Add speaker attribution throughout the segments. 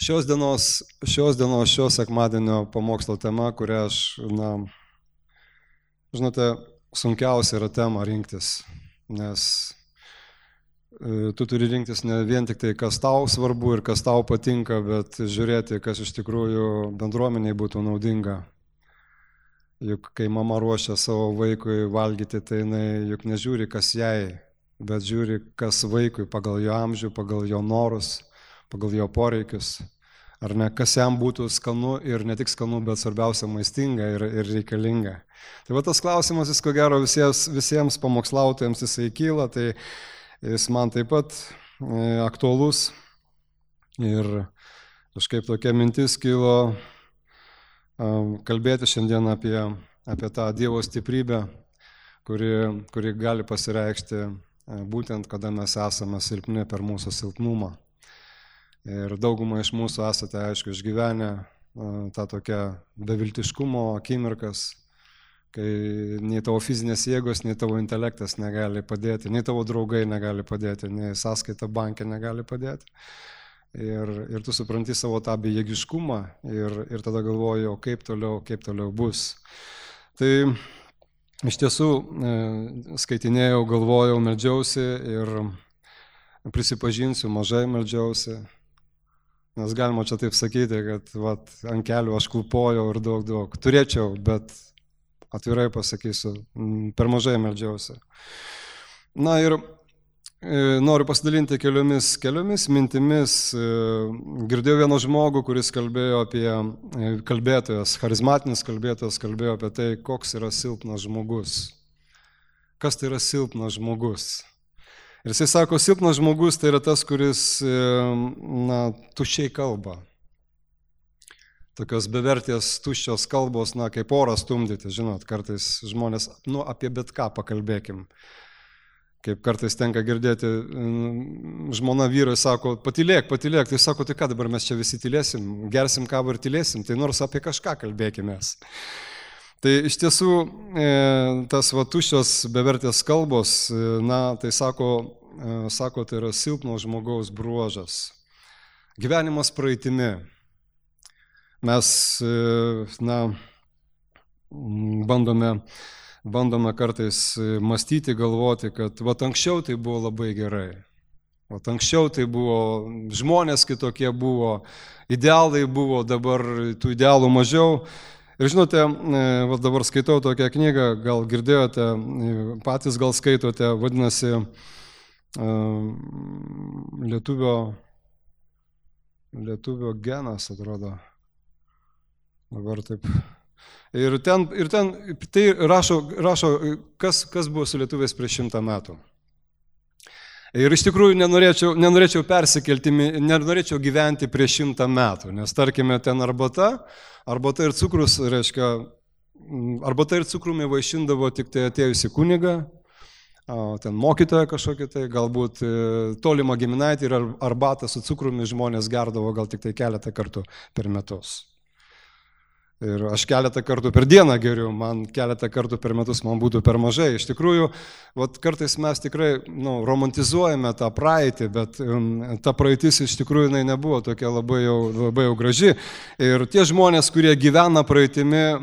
Speaker 1: Šios dienos šio sekmadienio pamokslo tema, kurią aš, žinote, sunkiausia yra tema rinktis, nes tu turi rinktis ne vien tik tai, kas tau svarbu ir kas tau patinka, bet žiūrėti, kas iš tikrųjų bendruomeniai būtų naudinga. Juk kai mama ruošia savo vaikui valgyti, tai jinai juk nežiūri, kas jai, bet žiūri, kas vaikui pagal jo amžių, pagal jo norus, pagal jo poreikius. Ar ne, kas jam būtų skanu ir ne tik skanu, bet svarbiausia maistinga ir reikalinga. Tai va tas klausimas, jis ko gero visiems pamokslautojams jisai kyla, tai jis man taip pat aktualus. Ir kažkaip tokia mintis kilo kalbėti šiandien apie tą Dievo stiprybę, kuri gali pasireikšti būtent, kada mes esame silpni per mūsų silpnumą. Ir daugumą iš mūsų esate, aišku, išgyvenę tą tokią beviltiškumo akimirkas, kai nei tavo fizinės jėgos, nei tavo intelektas negali padėti, nei tavo draugai negali padėti, nei sąskaita bankė negali padėti. Ir tu supranti savo tą bejėgiškumą ir tada galvoji, o kaip toliau bus. Tai iš tiesų skaitinėjau, galvojau, meldžiausi ir prisipažinsiu, mažai meldžiausi. Nes galima čia taip sakyti, kad ant kelių aš klupojau ir daug. Turėčiau, bet atvirai pasakysiu, per mažai meldžiausi. Na ir noriu pasidalinti keliomis mintimis. Girdėjau vieną žmogų, kuris kalbėjo apie kalbėtojas, charizmatinis kalbėtojas, kalbėjo apie tai, koks yra silpnas žmogus. Kas tai yra silpnas žmogus? Ir jisai sako, silpnas žmogus tai yra tas, kuris tuščiai kalba. Tokios bevertės tuščios kalbos, kaip orą stumdyti, žinot, kartais žmonės, apie bet ką pakalbėkim. Kaip kartais tenka girdėti, žmona vyrai sako, patylėk, tai sako, tai ką dabar mes čia visi tylėsim, gersim kavą ir tylėsim, tai nors apie kažką kalbėkimės. Tai iš tiesų tas tuščios bevertės kalbos, tai sako, tai yra silpno žmogaus bruožas. Gyvenimas praeitimi. Mes, bandome kartais mąstyti, galvoti, kad anksčiau tai buvo labai gerai. Anksčiau tai buvo, žmonės kitokie buvo, idealai buvo, dabar tų idealų mažiau. Ir žinote, dabar skaitau tokią knygą, gal girdėjote, patys gal skaitote, vadinasi Lietuvio genas, atrodo. Dabar taip. Ir ten tai rašo kas buvo su lietuviais prieš 100 metų. Ir iš tikrųjų nenorėčiau persikelti, nenorėčiau gyventi prieš 100 metų, nes tarkime ten arbata ir cukrus, reiškia, arbata ir cukrumi vaišindavo tik tai atėjusi kunigą, ten mokytoja kažkokia tai, galbūt tolimą giminaitį ir arbatą su cukrumi žmonės gerdavo gal tik tai keletą kartų per metus. Ir aš keletą kartų per dieną geriu, man keletą kartų per metus man būtų per mažai. Iš tikrųjų, kartais mes tikrai romantizuojame tą praeitį, bet ta praeitis iš tikrųjų nebuvo tokia labai jau graži. Ir tie žmonės, kurie gyvena praeitimi,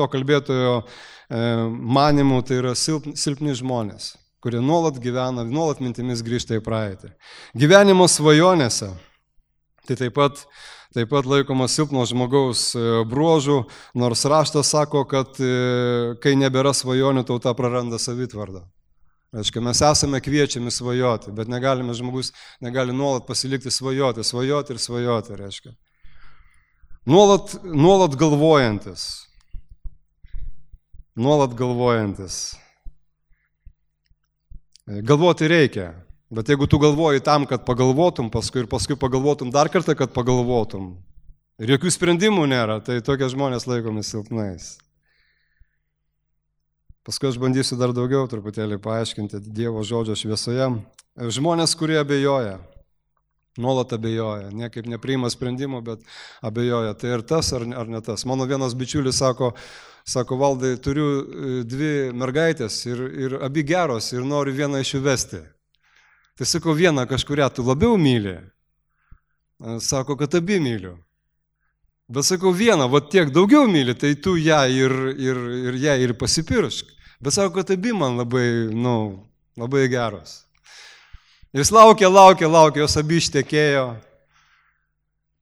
Speaker 1: to kalbėtojo manimu, tai yra silpni žmonės, kurie nuolat gyvena, nuolat mintimis grįžta į praeitį. Gyvenimo svajonėse, tai taip pat laikomas silpno žmogaus bruožų, nors raštas sako, kad kai nebėra svajonių, tauta praranda savitvardą. Reiškia, mes esame kviečiami svajoti, bet žmogus negali nuolat pasilikti svajoti, reiškia. Nuolat galvojantis. Galvoti reikia. Bet jeigu tu galvoji tam, kad pagalvotum paskui pagalvotum dar kartą, kad pagalvotum, ir jokių sprendimų nėra, tai tokie žmonės laikomi silpnais. Paskui aš bandysiu dar daugiau truputėlį paaiškinti Dievo žodžio šviesoje. Žmonės, kurie abejoja, nuolat abejoja, niekaip nepriima sprendimų, bet abejoja, tai ir tas ar ne tas. Mano vienas bičiulis sako, Valdai, turiu 2 mergaitės ir abi geros ir noriu vieną iš jų vesti. Tai sakau, vieną kažkurią tu labiau myli. Sako, kad abi myliu. Bet sakau, vieną, va tiek daugiau myli, tai tu ją ir ją ir pasipiršk. Bet sako, kad abi man labai geros. Jis laukia, jos abi ištekėjo,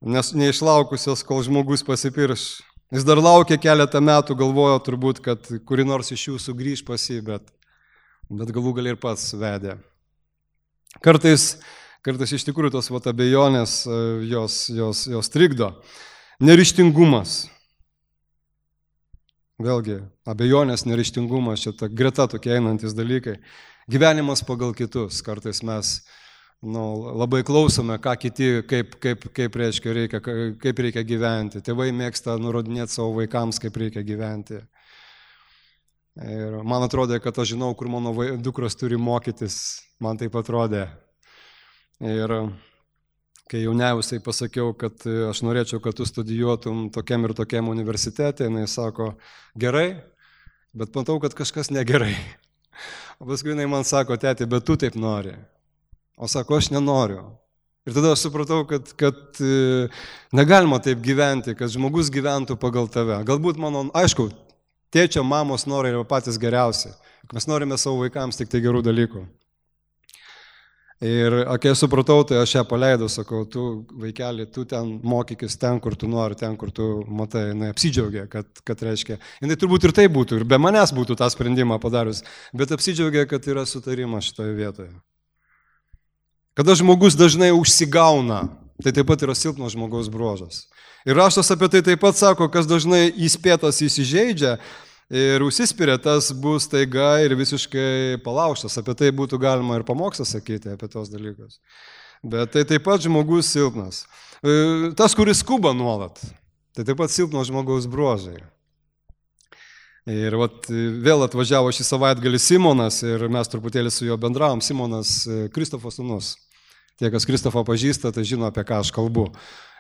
Speaker 1: nes neišlaukusios, kol žmogus pasipirš. Jis dar laukia keletą metų, galvojo turbūt, kad kuri nors iš jų sugrįž pas jį, bet galų gal ir pats vedė. Kartais iš tikrųjų tos abejonės jos trikdo. Neryžtingumas. Vėlgi, abejonės, neryžtingumas, čia ta greta tokie einantis dalykai. Gyvenimas pagal kitus. Kartais mes labai klausome, ką kiti, kaip reikia gyventi. Tėvai mėgsta nurodinėti savo vaikams, kaip reikia gyventi. Ir man atrodė, kad aš žinau, kur mano dukros turi mokytis. Man taip atrodė. Ir kai jauniausiai pasakiau, kad aš norėčiau, kad tu studijuotum tokiam ir tokiam universitete, jinai sako, gerai, bet matau, kad kažkas negerai. O paskui jinai man sako, tėti, bet tu taip nori. O sako, aš nenoriu. Ir tada aš supratau, kad negalima taip gyventi, kad žmogus gyventų pagal tave. Galbūt aišku, tėčio, mamos norai yra patys geriausi. Mes norime savo vaikams tik tai gerų dalykų. Ir kai supratau, tai aš ją paleidau, sakau, tu vaikeli, tu ten mokykis ten, kur tu nori, ten, kur tu matai, jinai apsidžiaugė, kad reiškia, jinai turbūt ir tai būtų, ir be manęs būtų tą sprendimą padarius, bet apsidžiaugė, kad yra sutarimas šitoje vietoje. Kada žmogus dažnai užsigauna, tai taip pat yra silpno žmogaus bruožas. Ir raštas apie tai taip pat sako, kas dažnai įspėtas įsižeidžia, ir užsispiria, tas bus taiga ir visiškai palaužtas. Apie tai būtų galima ir pamokslą sakyti, apie tos dalykus. Bet tai taip pat žmogus silpnas. Tas, kuris skuba nuolat, tai taip pat silpno žmogaus bruožai. Ir vėl atvažiavo šį savaitgalį Simonas ir mes truputėlį su juo bendravom. Simonas Kristofo sūnus. Tie, kas Kristofą pažįsta, tai žino, apie ką aš kalbu.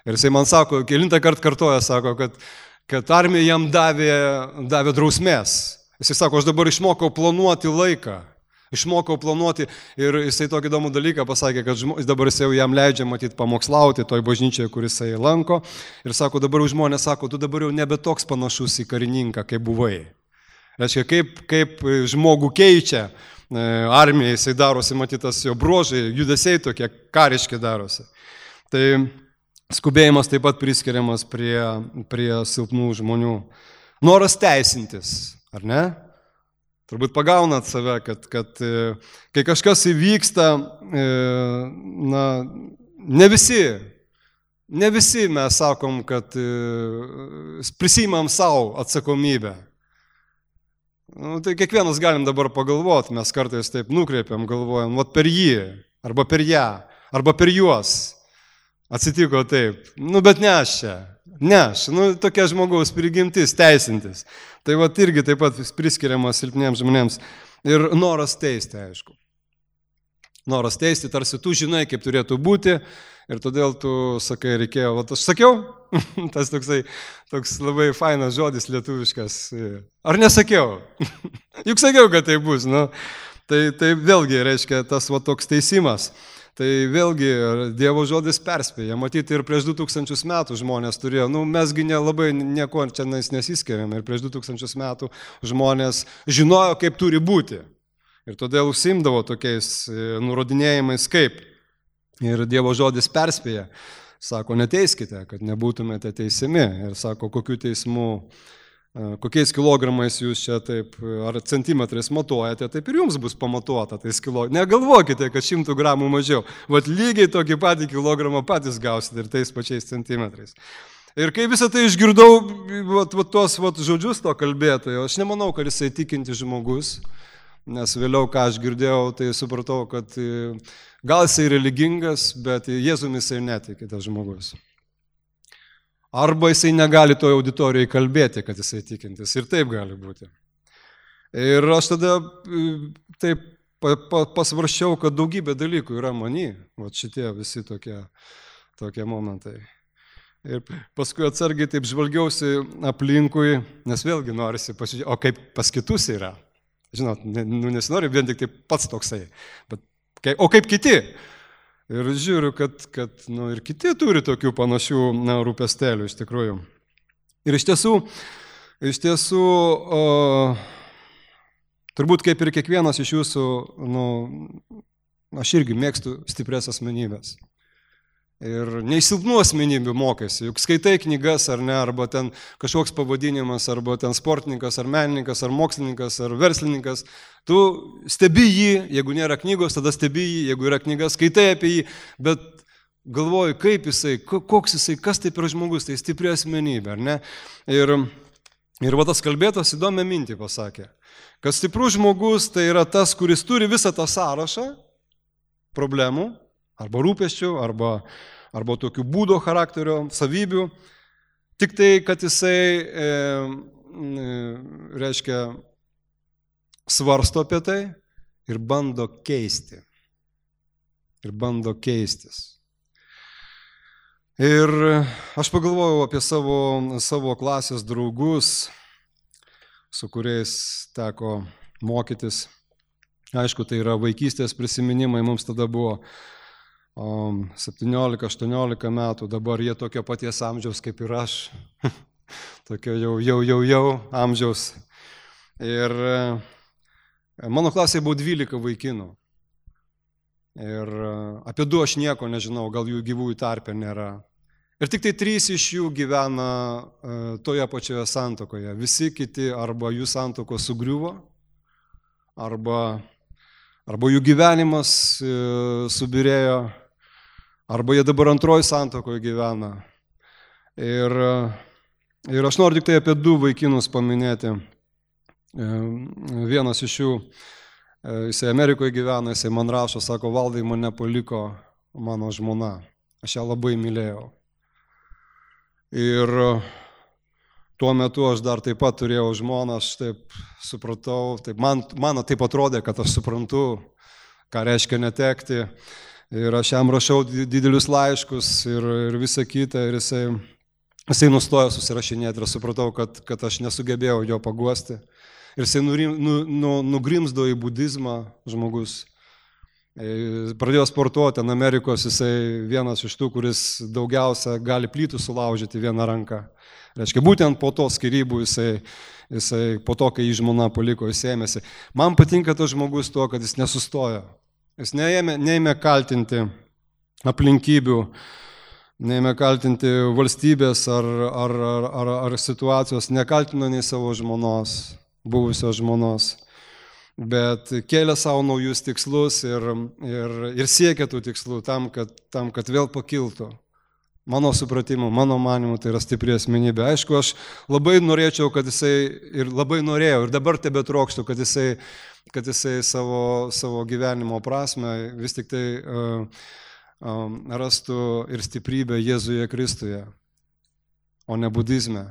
Speaker 1: Ir jisai man sako, kelintą kartą kartoja, sako, kad armija jam davė drausmės. Jisai sako, aš dabar išmokau planuoti laiką. Išmokau planuoti ir jisai tokį įdomų dalyką pasakė, kad dabar jisai jau jam leidžia matyti pamokslauti toj bažnyčioje, kur jisai lanko. Ir sako, dabar žmonės sako, tu dabar jau nebe toks panašus į karininką, kaip buvai. Reiškia, kaip žmogų keičia armija, jisai darosi, matytas jo bruožai, judesiai tokie kariški darosi. Tai skubėjimas taip pat priskiriamas prie silpnų žmonių. Noras teisintis, ar ne? Turbūt pagaunat save, kad kai kažkas įvyksta, ne visi mes sakom, kad prisimam savo atsakomybę. Tai kiekvienas galim dabar pagalvoti, mes kartais taip nukreipiam, galvojam, per jį, arba per ją, arba per juos. Atsitiko taip, bet ne aš čia, tokia žmogaus prigimtis, teisintis. Tai irgi taip pat priskiriamas silpniems žmonėms. Ir noras teisti, aišku. Noras teisti, tarsi tu žinai, kaip turėtų būti, ir todėl tu sakai, reikėjo, aš sakiau, tas toks labai fainas žodis lietuviškas. Ar nesakiau? Juk sakiau, kad tai bus, Tai vėlgi reiškia tas toks teisimas. Tai vėlgi Dievo žodis perspėja. Matyti ir prieš 2000 metų žmonės turėjo, mesgi nelabai nieko čia nesiskiriam. Ir prieš 2000 metų žmonės žinojo, kaip turi būti. Ir todėl užsiimdavo tokiais nurodinėjimais kaip. Ir Dievo žodis perspėja. Sako, neteiskite, kad nebūtumėte teisiami. Ir sako, kokiais kilogramais jūs čia taip, ar centimetrais matuojate, taip ir jums bus pamatuota tais kilogramais. Negalvokite, kad 100 gramų mažiau. Lygiai tokį patį kilogramą patys gausite ir tais pačiais centimetrais. Ir kai visą tai išgirdau, tuos žodžius to kalbėtojo, aš nemanau, kad jisai tikinti žmogus, nes vėliau, ką aš girdėjau, tai supratau, kad gal jisai religingas, bet Jėzumi jisai netiki tas žmogus. Arba jisai negali toje auditorijoje kalbėti, kad jisai tikintis. Ir taip gali būti. Ir aš tada taip pasvarščiau, kad daugybė dalykų yra many. Šitie visi tokie momentai. Ir paskui atsargiai taip žvalgiausi aplinkui, nes vėlgi norisi pasižiūrėti, o kaip pas kitus yra. Žinot, nesinori vien tik tai pats toksai. O kaip kiti? Ir žiūriu, kad ir kiti turi tokių panašių rūpestėlių iš tikrųjų. Ir iš tiesų, turbūt kaip ir kiekvienas iš jūsų, aš irgi mėgstu stiprias asmenybės. Ir neįsilpnų asmenybių mokėsi, juk skaitai knygas ar ne, arba ten kažkoks pavadinimas, arba ten sportininkas, ar menininkas, ar mokslininkas, ar verslininkas. Tu stebi jį, jeigu nėra knygos, tada stebi jį, jeigu yra knyga, skaitai apie jį, bet galvoju, kaip jisai, koks jisai, kas tai per žmogus, tai stipri asmenybė, ar ne? Ir va tas kalbėtas įdomią mintį pasakė, kad stiprus žmogus tai yra tas, kuris turi visą tą sąrašą problemų, arba rūpesčių, arba tokių būdo charakterio, savybių, tik tai, kad jisai, reiškia, svarsto apie tai ir bando keisti. Ir bando keistis. Ir aš pagalvojau apie savo klasės draugus, su kuriais teko mokytis. Aišku, tai yra vaikystės prisiminimai, mums tada buvo 17-18 metų, dabar jie tokio paties amžiaus kaip ir aš, tokio jau amžiaus. Ir mano klasėje buvo 12 vaikinų. Ir apie 2 aš nieko nežinau, gal jų gyvųjų tarpe nėra. Ir tik tai 3 iš jų gyvena toje pačioje santuokoje. Visi kiti arba jų santuokos sugriuvo, arba jų gyvenimas subirėjo, arba jie dabar antroji santuokoje gyvena. Ir aš noriu tik tai apie 2 vaikinus paminėti. Vienas iš jų, jisai Amerikoje gyvena, jisai man rašo, sako, Valdai, mane paliko mano žmona. Aš ją labai mylėjau. Ir tuo metu aš dar taip pat turėjau žmoną, aš taip supratau, man taip atrodė, kad aš suprantu, ką reiškia netekti. Ir aš jam rašau didelius laiškus ir visą kitą, ir jisai nustojo susirašinėti ir supratau, kad aš nesugebėjau jo paguosti. Ir jisai nugrimzdo į budizmą žmogus. Pradėjo sportuoti ant Amerikos, jisai vienas iš tų, kuris daugiausia gali plytų sulaužyti vieną ranką. Reiškia, būtent po to skyrybų jisai po to, kai jį žmona paliko, jis ėmėsi. Man patinka tas žmogus tuo, kad jis nesustojo. Jis neėmė kaltinti aplinkybių, neėmė kaltinti valstybės ar situacijos, nekaltino nei savo žmonos, buvusios žmonos, bet kėlė savo naujus tikslus ir siekė tų tikslų tam, kad vėl pakiltų. Mano supratimu, mano manimu, tai yra stipri asmenybė. Aišku, aš labai norėčiau, kad jisai, ir labai norėjau, ir dabar tebetrokštų, kad jisai savo gyvenimo prasme vis tik tai rastų ir stiprybę Jėzuje Kristuje, o ne budizme.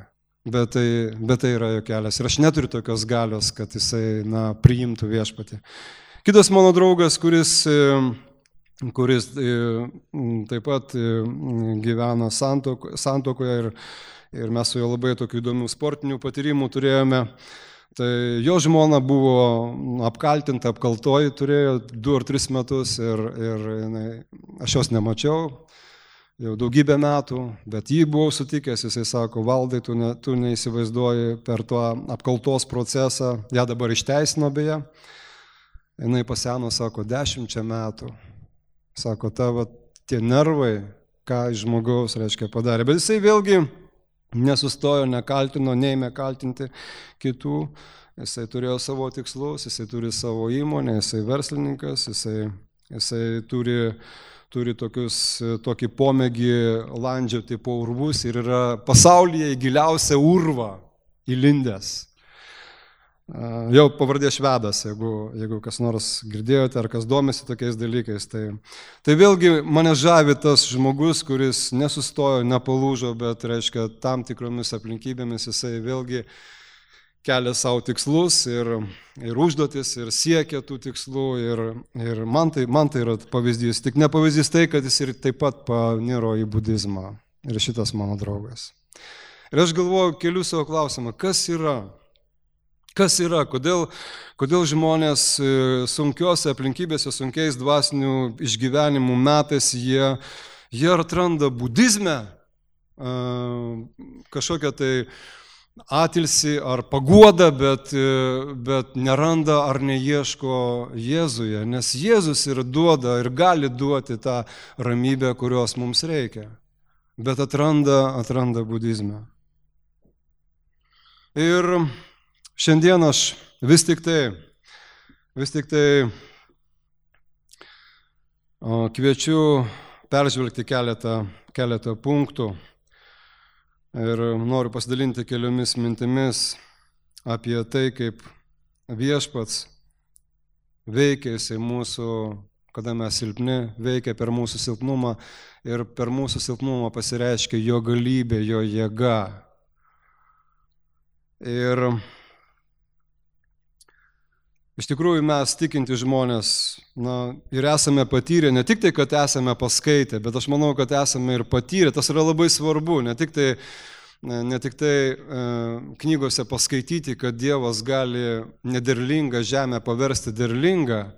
Speaker 1: Bet tai yra jo kelias. Ir aš neturiu tokios galios, kad jisai priimtų viešpatį. Kitas mano draugas, kuris taip pat gyvena santuokoje ir mes su juo labai tokių įdomių sportinių patyrimų turėjome. Tai jo žmona buvo apkaltinta, apkaltoji, turėjo 2 ar 3 metus ir aš jos nemačiau jau daugybę metų, bet jį buvau sutikęs, jisai sako, Valdai, tu neįsivaizduoji per tą apkaltos procesą, ją dabar išteisino beje, jinai paseno, sako, 10 metų. Sako, tavo tie nervai, ką iš žmogaus, reiškia, padarė. Bet jisai vėlgi nesustojo, nekaltino, neėmė kaltinti kitų. Jisai turėjo savo tikslus, jisai turi savo įmonę, jisai verslininkas, jisai turi tokį pomėgį landžioti po urvus ir yra pasaulyje į giliausią urvą įlindęs. Jau pavardė Švedas, jeigu kas nors girdėjote ar kas domisi tokiais dalykais. Tai vėlgi mane žavi tas žmogus, kuris nesustojo, nepalūžo, bet reiškia tam tikromis aplinkybėmis jisai vėlgi kelia savo tikslus ir užduotis ir siekia tų tikslų ir man tai yra pavyzdys. Tik ne pavyzdys tai, kad jis ir taip pat paniro į budizmą. Ir šitas mano draugas. Ir aš galvoju, keliu savo klausimą, kas yra Kas yra, kodėl žmonės sunkiose aplinkybėse, sunkiais dvasinių išgyvenimų metais jie atranda budizme kažkokią tai atilsį ar paguodą, bet neranda ar neieško Jėzuje, nes Jėzus ir duoda ir gali duoti tą ramybę, kurios mums reikia, bet atranda budizme. Ir šiandien aš vis tik tai kviečiu peržvelgti keletą punktų ir noriu pasidalinti keliomis mintimis apie tai, kaip viešpats veikia jisai mūsų, kada mes silpni, veikia per mūsų silpnumą ir per mūsų silpnumą pasireiškia jo galybė, jo jėga. Ir iš tikrųjų mes tikinti žmonės ir esame patyrę, ne tik tai, kad esame paskaitę, bet aš manau, kad esame ir patyrę, tas yra labai svarbu, ne tik tai knygose paskaityti, kad Dievas gali nederlingą žemę paversti derlingą,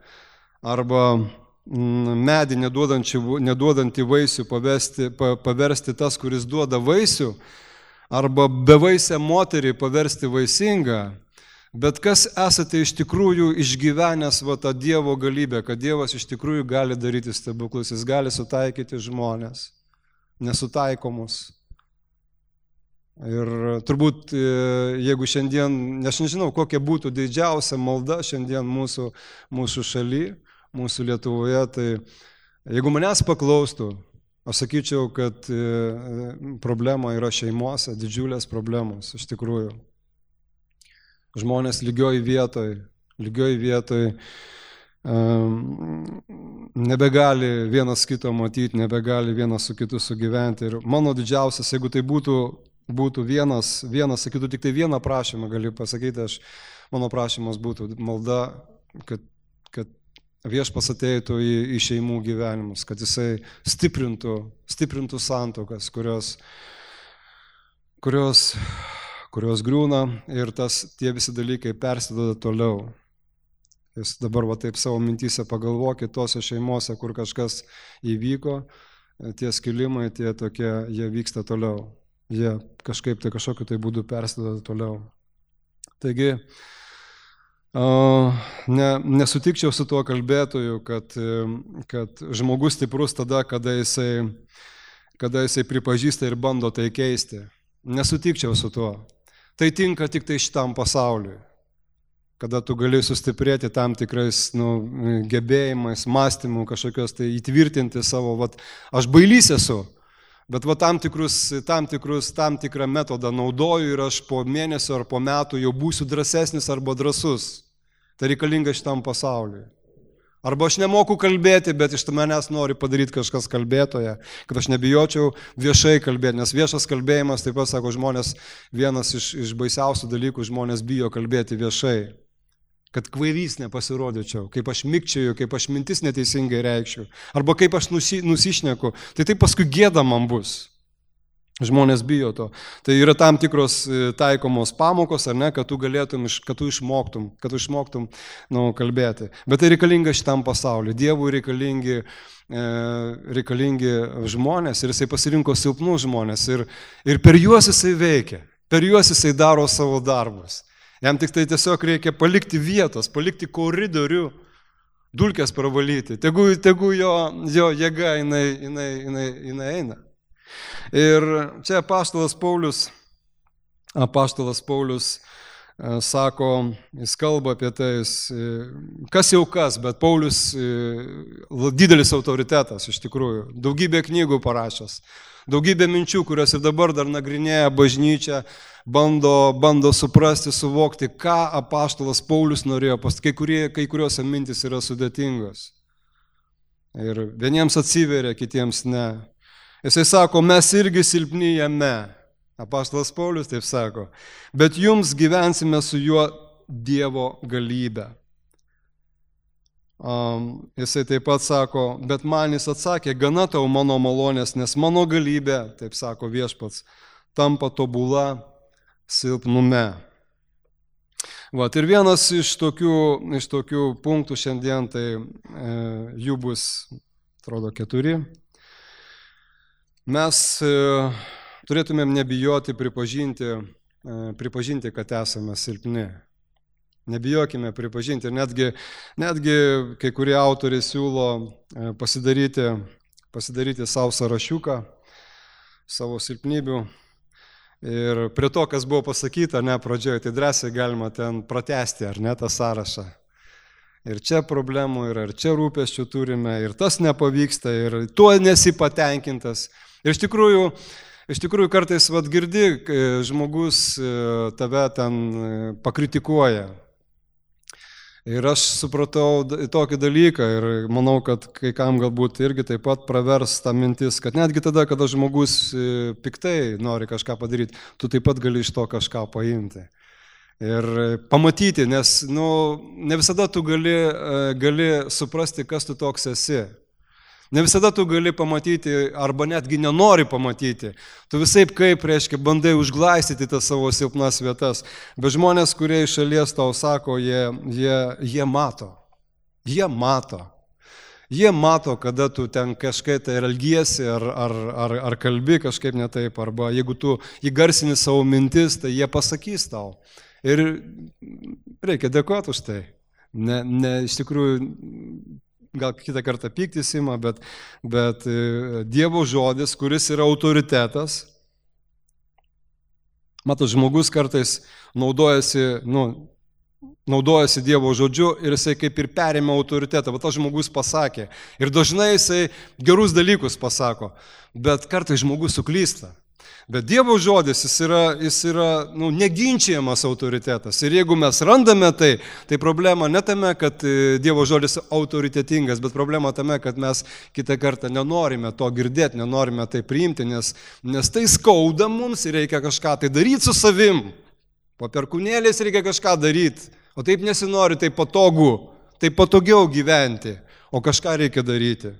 Speaker 1: arba medį neduodantį vaisių paversti tas, kuris duoda vaisių, arba bevaisę moterį paversti vaisingą. Bet kas esate iš tikrųjų išgyvenęs tą Dievo galybę, kad Dievas iš tikrųjų gali daryti stebuklus, jis gali sutaikyti žmonės, nesutaikomus. Ir turbūt, jeigu šiandien, aš nežinau, kokia būtų didžiausia malda šiandien mūsų šaly, mūsų Lietuvoje, tai jeigu manęs paklaustų, aš sakyčiau, kad problema yra šeimose, didžiulės problemos, iš tikrųjų. Žmonės lygioj vietoj nebegali vienas kito matyti, nebegali vienas su kitu sugyventi. Ir mano didžiausias, jeigu tai būtų vienas, sakytų, tik tai vieną prašymą galiu pasakyti, mano prašymas būtų malda, kad viešpats ateitų į šeimų gyvenimus, kad jisai stiprintų santuokas, kurios griūna ir tie visi dalykai persiduoda toliau. Jūs dabar taip savo mintyse pagalvokit tose šeimose, kur kažkas įvyko, tie skilimai, jie vyksta toliau. Jie kažkokiu tai būdu persiduoda toliau. Taigi, nesutikčiau su tuo kalbėtoju, kad žmogus stiprus tada, kada jisai pripažįsta ir bando tai keisti. Nesutikčiau su tuo. Tai tinka tik tai šitam pasauliui, kada tu gali sustiprėti tam tikrais gebėjimais, mąstymų, kažkokios tai įtvirtinti savo, aš bailys esu, bet tam tikrą metodą naudoju ir aš po mėnesio ar po metų jau būsiu drąsesnis arba drąsus. Tai reikalinga šitam pasauliui. Arba aš nemoku kalbėti, bet iš manęs nori padaryti kažkas kalbėtoje, kad aš nebijočiau viešai kalbėti, nes viešas kalbėjimas, taip pat sako žmonės, vienas iš baisiausių dalykų, žmonės bijo kalbėti viešai, kad kvailys nepasirodyčiau, kaip aš mikčioju, kaip aš mintis neteisingai reikščiau, arba kaip aš nusišneku, tai paskui gėda man bus. Žmonės bijo to. Tai yra tam tikros taikomos pamokos, ar ne, kad tu išmoktum kalbėti. Bet tai reikalinga šitam pasauliu. Dievui reikalingi žmonės ir jisai pasirinko silpnus žmonės ir per juos jisai veikia, per juos jisai daro savo darbus. Jam tik tai tiesiog reikia palikti vietos, palikti koridorių, dulkes pravalyti. Tegu jo jėga jinai eina. Ir čia apaštalas Paulius sako, jis kalba apie tai, kas jau kas, bet Paulius didelis autoritetas iš tikrųjų, daugybė knygų parašęs, daugybė minčių, kurios ir dabar dar nagrinėja bažnyčią, bando suprasti, suvokti, ką apaštalas Paulius norėjo pasakyti, kai kurios mintys yra sudėtingos. Ir vieniems atsiveria, kitiems ne. Jisai sako, mes irgi silpni jame, apaštalas Paulius taip sako, bet jums gyvensime su juo Dievo galybę. Jisai taip pat sako, bet man jis atsakė, gana tau mano malonės, nes mano galybė, taip sako viešpats, tampa tobula silpnume. Vat, ir vienas iš tokių punktų šiandien, tai jų bus, atrodo, 4. Mes turėtumėm nebijoti pripažinti, kad esame silpni. Nebijokime pripažinti. Ir netgi kai kurie autoriai siūlo pasidaryti savo sąrašiuką, savo silpnybių. Ir prie to, kas buvo pasakyta, pradžioje, tai drąsiai galima ten pratęsti, ar ne, tą sąrašą. Ir čia problemų yra, ir čia rūpesčių turime, ir tas nepavyksta, ir tuo nesi patenkintas. Ir iš tikrųjų kartais girdi, žmogus tave ten pakritikuoja. Ir aš supratau tokį dalyką ir manau, kad kai kam galbūt irgi taip pat pravers tą mintis, kad netgi tada, kada žmogus piktai nori kažką padaryti, tu taip pat gali iš to kažką paimti. Ir pamatyti, nes ne visada tu gali suprasti, kas tu toks esi. Ne visada tu gali pamatyti, arba netgi nenori pamatyti. Tu visaip bandai užglaistyti tas savo silpnas vietas. Bet žmonės, kurie iš šalies tau sako, jie mato. Jie mato. Jie mato, kada tu ten kažkaip tai elgiesi ar kalbi kažkaip ne taip. Arba jeigu tu įgarsini savo mintis, tai jie pasakys tau. Ir reikia dėkoti už tai. Iš tikrųjų, gal kitą kartą pyktis ima, bet Dievo žodis, kuris yra autoritetas. Matot, žmogus kartais naudojasi Dievo žodžiu ir jisai kaip ir perėmė autoritetą. Bet tas žmogus pasakė. Ir dažnai jisai gerus dalykus pasako, bet kartais žmogus suklysta. Bet Dievo žodis, jis yra neginčiamas autoritetas. Ir jeigu mes randame tai problema ne tame, kad Dievo žodis autoritetingas, bet problema tame, kad mes kitą kartą nenorime to girdėti, nenorime tai priimti, nes tai skauda mums ir reikia kažką tai daryti su savim. Po perkūnėlės reikia kažką daryti, o taip nesinori, tai patogu, tai patogiau gyventi, o kažką reikia daryti.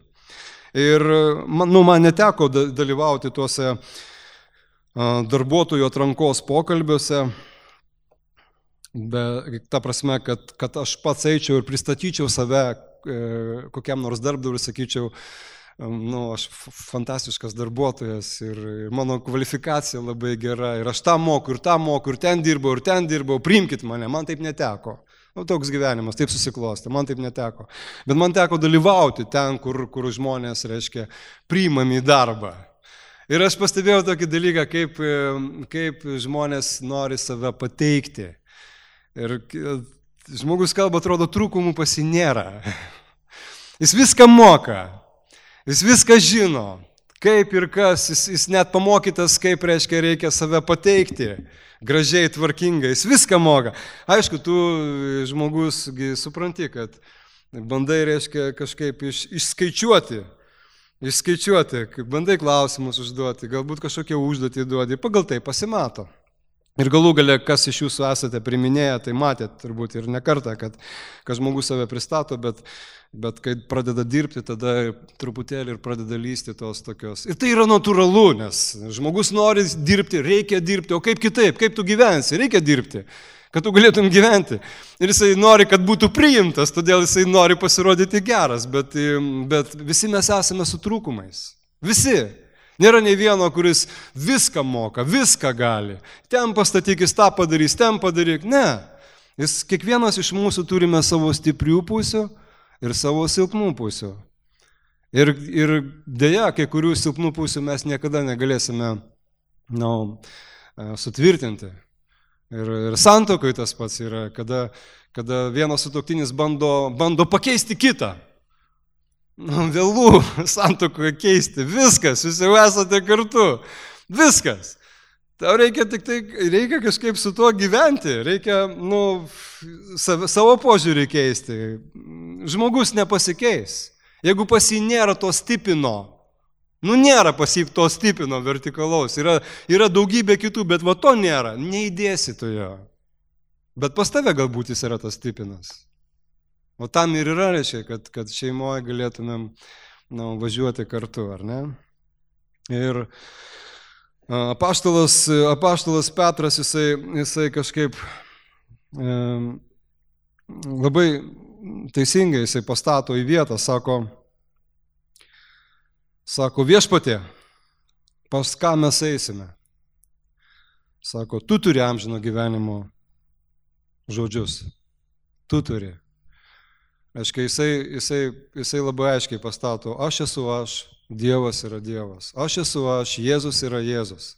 Speaker 1: Ir man neteko dalyvauti tuose darbuotojų atrankos pokalbiuose, ta prasme, kad aš pats eičiau ir pristatyčiau save kokiam nors darbdaviui ir sakyčiau, aš fantastiškas darbuotojas ir mano kvalifikacija labai gera ir aš tą moku ir ten dirbau, priimkit mane, man taip neteko. Toks gyvenimas, taip susiklostė, man taip neteko. Bet man teko dalyvauti ten, kur žmonės, priimami į darbą. Ir aš pastebėjau tokį dalyką, kaip žmonės nori save pateikti. Ir žmogus kalba, atrodo, trūkumų pas jį nėra. Jis viską moka, jis viską žino, kaip ir kas, jis net pamokytas, kaip reikia save pateikti, gražiai, tvarkingai, jis viską moka. Aišku, tu žmogus supranti, kad bandai kažkaip išskaičiuoti, bandai klausimus užduoti, galbūt kažkokią užduotį duodi, pagal tai pasimato. Ir galų gale, kas iš jūsų esate priminėję, tai matėt turbūt ir ne kartą, kad žmogus save pristato, bet kai pradeda dirbti, tada truputėlį ir pradeda lysti tos tokios. Ir tai yra natūralu, nes žmogus nori dirbti, reikia dirbti, o kaip kitaip, kaip tu gyvensi, reikia dirbti, kad tu galėtum gyventi. Ir jisai nori, kad būtų priimtas, todėl jisai nori pasirodyti geras, bet visi mes esame su trūkumais. Visi. Nėra nei vieno, kuris viską moka, viską gali. Ten pastatyk, jis tą padarys, ten padaryk. Ne. Kiekvienas iš mūsų turime savo stiprių pusių ir savo silpnų pusių. Ir deja, kai kurių silpnų pusių mes niekada negalėsime sutvirtinti. Ir santuokoj tas pats yra, kada vienas sutuoktinis bando pakeisti kitą. Vėlų santuokoje keisti. Viskas, jūs jau esate kartu. Viskas. Tau reikia kažkaip su tuo gyventi. Reikia savo požiūrį keisti. Žmogus nepasikeis. Jeigu pas jį nėra to stipino, nėra pas jį to stipino vertikalaus, yra daugybė kitų, bet to nėra, neįdėsi tu jo. Bet pas tave galbūt jis yra tas stipinas. O tam ir yra, kad šeimoje galėtumėm važiuoti kartu, ar ne? Ir apaštalas Petras, jisai kažkaip labai teisingai jisai pastato į vietą, sako Viešpatie, pas ką mes eisime? Sako, tu turi amžino gyvenimo žodžius. Tu turi. Aiškiai, jisai labai aiškiai pastato, aš esu aš, Dievas yra Dievas. Aš esu aš, Jėzus yra Jėzus.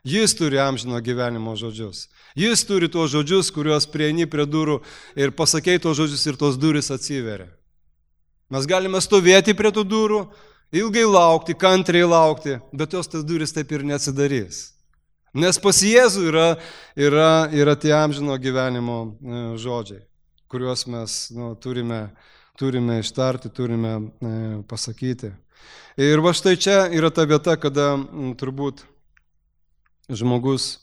Speaker 1: Jis turi amžino gyvenimo žodžius. Jis turi tuos žodžius, kuriuos prieini prie durų ir pasakei tuos žodžius ir tos durys atsiveria. Mes galime stovėti prie tų durų, ilgai laukti, kantriai laukti, bet tos tas durys taip ir neatsidarys. Nes pas Jėzų yra tie amžino gyvenimo žodžiai, kuriuos mes turime ištarti, turime pasakyti. Ir va štai čia yra ta vieta, kada turbūt žmogus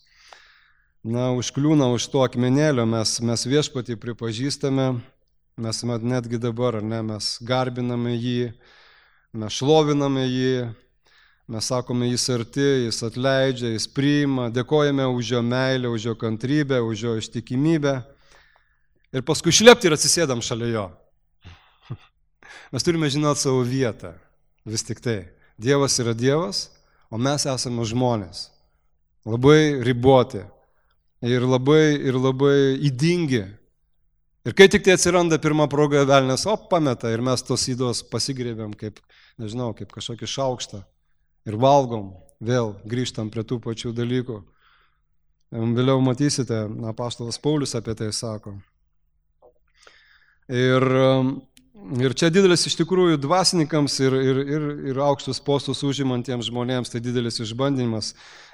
Speaker 1: užkliūna už to akmenėlio, mes Viešpatį pripažįstame, mes netgi dabar, mes garbiname jį, mes šloviname jį, mes sakome, jis arti, jis atleidžia, jis priima, dėkojame už jo meilę, už jo kantrybę, už jo ištikimybę ir paskui šlepti ir atsisėdam šalia jo. Mes turime žinoti savo vietą, vis tik tai. Dievas yra Dievas, o mes esame žmonės. Labai riboti ir labai įdingi. Ir kai tik tai atsiranda pirma proga, velnias pameta ir mes tos įdos pasigrėbėm kaip kažkokį šaukštą ir valgom, vėl grįžtam prie tų pačių dalykų. Vėliau matysite, apaštalas Paulius apie tai sako. Ir čia didelis iš tikrųjų dvasininkams ir aukštus postus užimantiems žmonėms, tai didelis išbandymas.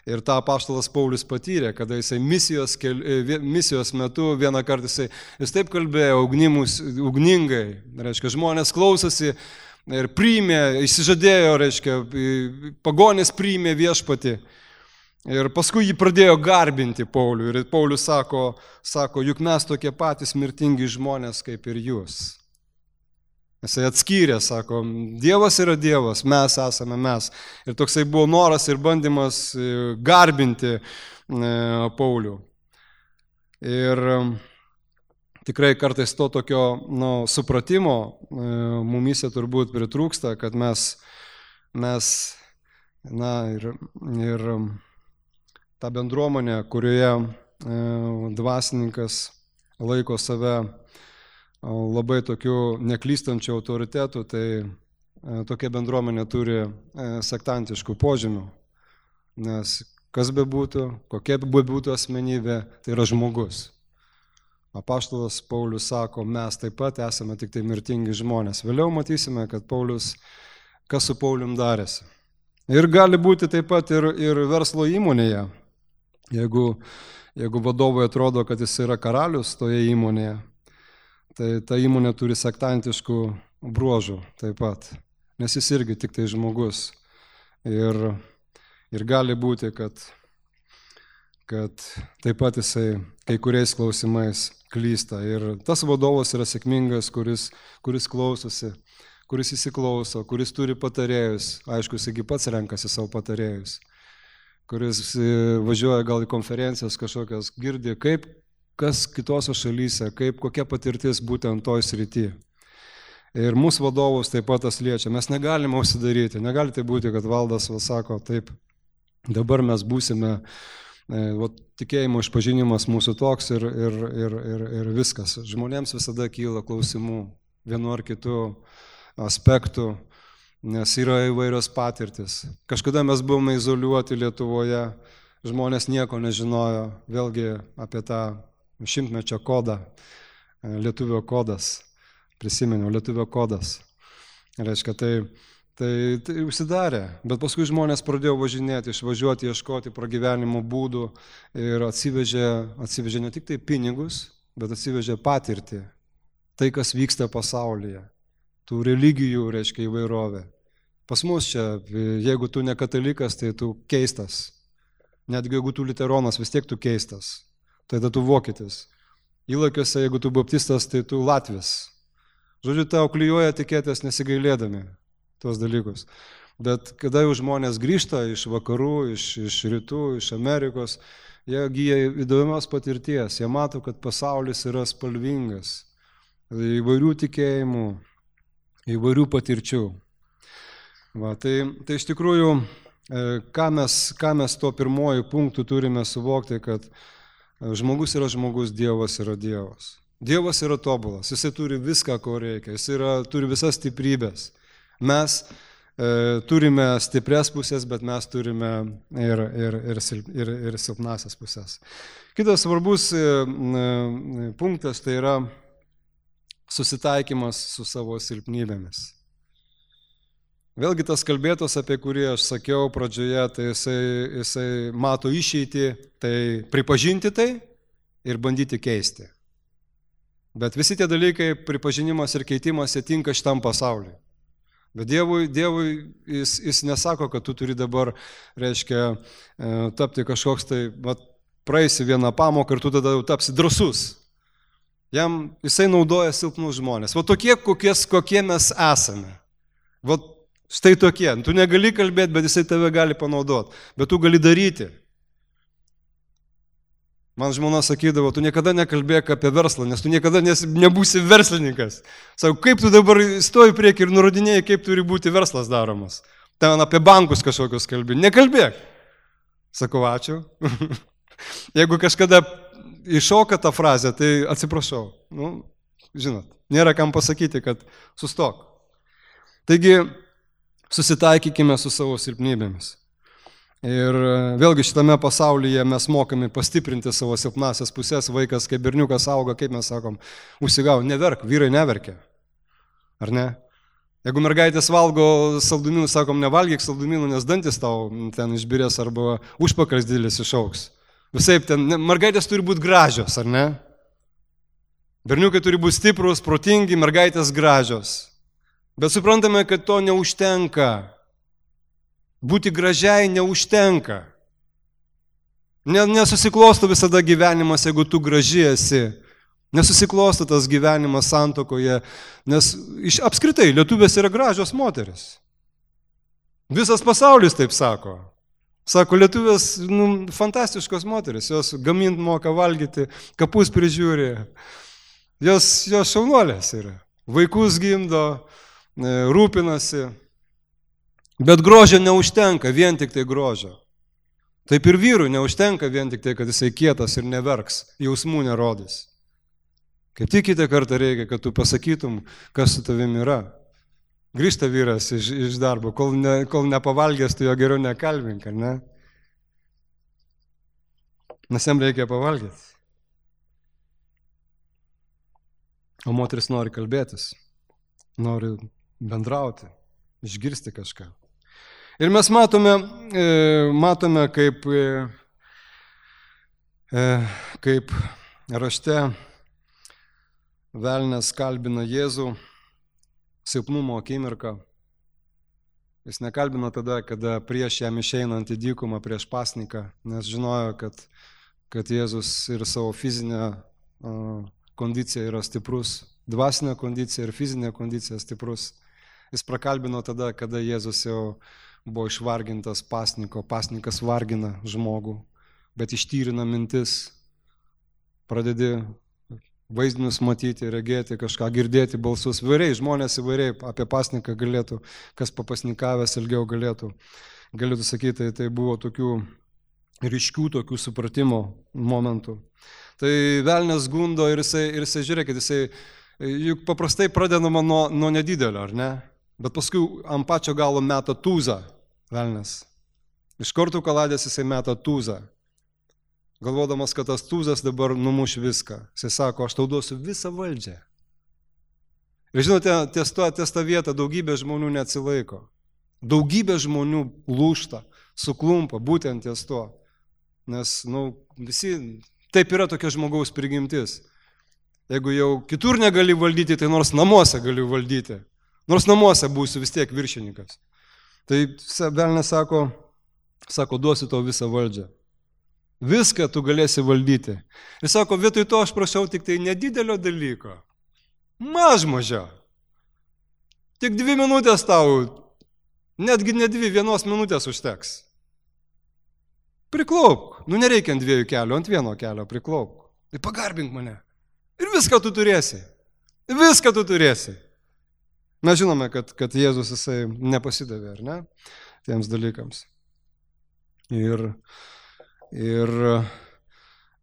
Speaker 1: Ir tą apaštalas Paulius patyrė, kada jisai misijos metu vieną kartą jis taip kalbėjo ugningai, reiškia, žmonės klausosi ir priėmė, išsižadėjo, reiškia, pagonės priėmė Viešpatį. Ir paskui jį pradėjo garbinti Paulių. Ir Paulius sako, juk mes tokie patys mirtingi žmonės kaip ir jūs. Jisai atskyrė, sako, Dievas yra Dievas, mes esame mes. Ir toksai buvo noras ir bandymas garbinti Paulių. Ir tikrai kartais to tokio supratimo mumyse turbūt pritrūksta, kad mes ir tą bendruomenę, kurioje dvasininkas laiko save labai tokiu neklystančiu autoritetu, tai tokia bendruomenė turi sektantiškų požymių. Nes kas bebūtų, kokia bebūtų asmenybė, tai yra žmogus. Apaštalas Paulius sako, mes taip pat esame tik tai mirtingi žmonės. Vėliau matysime, kad Paulius, kas su Paulium darėsi. Ir gali būti taip pat ir verslo įmonėje. Jeigu vadovui atrodo, kad jis yra karalius toje įmonėje, tai ta įmonė turi sektantiškų bruožų taip pat, nes jis irgi tik tai žmogus. Ir gali būti, kad taip pat jisai kai kuriais klausimais klysta. Ir tas vadovas yra sėkmingas, kuris klausosi, kuris įsiklauso, kuris turi patarėjus. Aišku, jisai pats renkasi savo patarėjus, kuris važiuoja gal į konferencijas kažkokias, girdi, kas kitose šalyse, kokia patirtis būtent toj srity. Ir mūsų vadovus taip pat tas liečia. Mes negalime užsidaryti. Negali tai būti, kad valdas sako, taip, dabar mes būsime, tikėjimo išpažinimas mūsų toks ir viskas. Žmonėms visada kyla klausimų vienu ar kitu aspektu, nes yra įvairios patirtis. Kažkada mes buvome izoliuoti Lietuvoje, žmonės nieko nežinojo, vėlgi apie tą 100-mečio kodą, lietuvio kodas, prisiminiau, lietuvio kodas. Reiškia, tai užsidarė, bet paskui žmonės pradėjo važinėti, išvažiuoti, ieškoti pragyvenimo būdų ir atsivežė ne tik tai pinigus, bet atsivežė patirtį, tai, kas vyksta pasaulyje, tų religijų, reiškia, įvairovė. Pas mus čia, jeigu tu ne katalikas, tai tu keistas, netgi jeigu tu liuteronas, vis tiek tu keistas. Tada tu vokietis. Įlakiuose, jeigu tu baptistas, tai tu latvis. Žodžiu, tau klijuoja etiketės nesigailėdami tuos dalykus. Bet kada jau žmonės grįžta iš vakarų, iš rytų, iš Amerikos, jie gyja įdomios patirties, jie mato, kad pasaulis yra spalvingas, įvairių tikėjimų, įvairių patirčių. Va, tai iš tikrųjų, ką mes to pirmojų punktų turime suvokti, kad žmogus yra žmogus, Dievas yra Dievas. Dievas yra tobulas, jisai turi viską, ko reikia, jisai turi visas stiprybės. Mes turime stiprias pusės, bet mes turime ir silpnasias pusės. Kitas svarbus punktas tai yra susitaikymas su savo silpnybėmis. Vėlgi tas kalbėtos, apie kurį aš sakiau pradžioje, tai jisai mato išeitį, tai pripažinti tai ir bandyti keisti. Bet visi tie dalykai, pripažinimas ir keitimas, jie tinka šitam pasauliui. Bet Dievui jis nesako, kad tu turi dabar, reiškia, tapti kažkoks tai, praeisi vieną pamoką ir tu tada jau tapsi drąsus. Jisai naudoja silpnus žmonės. Va tokie, kokie mes esame. Va štai tokie. Tu negali kalbėti, bet jisai tave gali panaudoti. Bet tu gali daryti. Man žmona sakydavo, tu niekada nekalbėk apie verslą, nes tu niekada nebūsi verslininkas. Sakau, kaip tu dabar stoji prieki ir nurodinėjai, kaip turi būti verslas daromas. Ten apie bankus kažkokius kalbė. Nekalbėk. Sakau, ačiū. Jeigu kažkada iššoka tą frazę, tai atsiprašau. Žinot, nėra kam pasakyti, kad sustok. Taigi, susitaikykime su savo silpnybėmis. Ir vėlgi šitame pasaulyje mes mokame pastiprinti savo silpnasias pusės. Vaikas, kai berniukas auga, kaip mes sakom, užsigavo, neverk, vyrai neverkia. Ar ne? Jeigu mergaitės valgo saldumynų, sakom, nevalgyk saldumynų, nes dantis tau ten išbirės arba užpakalis didelis išaugs. Visai ten, mergaitės turi būti gražios, ar ne? Berniukai turi būti stiprus, protingi, mergaitės gražios. Bet suprantame, kad to neužtenka. Būti gražiai neužtenka. Nesusiklosto visada gyvenimas, jeigu tu graži esi. Nesusiklosto tas gyvenimas santuokoje, nes apskritai lietuvės yra gražios moteris. Visas pasaulis taip sako. Sako, lietuvės fantastiškos moteris, jos gamint moka, valgyti, kapus prižiūri. Jos šaunuolės yra. Vaikus gimdo, rūpinasi. Bet grožio neužtenka, vien tik tai grožio. Taip ir vyrui neužtenka vien tik tai, kad jisai kietas ir neverks, jausmų nerodys. Kaip tik kitą kartą reikia, kad tu pasakytum, kas su tavimi yra. Grįžta vyras iš darbo, kol nepavalgęs, tu jo geriau nekalbink, ar ne? Nes jam reikia pavalgyti. O moteris nori kalbėtis, nori bendrauti, išgirsti kažką. Ir mes matome kaip rašte velnias kalbina Jėzų silpnumo akimirką. Jis nekalbina tada, kada prieš jam išeinant į dykumą prieš pasniką, nes žinojo, kad Jėzus ir savo fizinę kondiciją yra stiprus, dvasinė kondicija ir fizinė kondicija stiprus. Jis prakalbino tada, kada Jėzus jau buvo išvargintas pasniko, pasnikas vargina žmogų, bet ištyrina mintis, pradedi vaizdinius matyti, regėti kažką, girdėti balsus. Įvairiai, žmonės įvairiai apie pasniką galėtų, kas papasnikavęs ilgiau galėtų sakyti, tai buvo tokių ryškių tokių supratimo momentų. Tai velnias gundo ir jisai žiūrėkit, juk paprastai pradedama nuo nedidelio, ar ne? Bet paskui ant pačio galo meta tūzą velnias. Iš kortų kaladės jisai meta tūzą. Galvodamas, kad tas tūzas dabar numuš viską. Jisai sako, aš tau duosiu visą valdžią. Ir žinote, ties tą vietą daugybė žmonių neatsilaiko. Daugybė žmonių lūžta, suklumpa būtent ties to. Nes, visi, taip yra tokia žmogaus prigimtis. Jeigu jau kitur negali valdyti, tai nors namuose gali valdyti. Nors namuose būsiu vis tiek viršininkas. Tai velnias sako, duosiu tau visą valdžią. Viską tu galėsi valdyti. Ir sako, vietoj to aš prašau tik tai nedidelio dalyko. Mažo. Tik 2 minutės tau, netgi ne 2, 1 minutės užteks. Priklaupk. Nu nereikia ant 2 kelių, ant 1 kelio priklaupk. Tai pagarbink mane. Ir viską tu turėsi. Viską tu turėsi. Mes žinome, kad Jėzus jisai nepasidavė, ar ne, tiems dalykams. Ir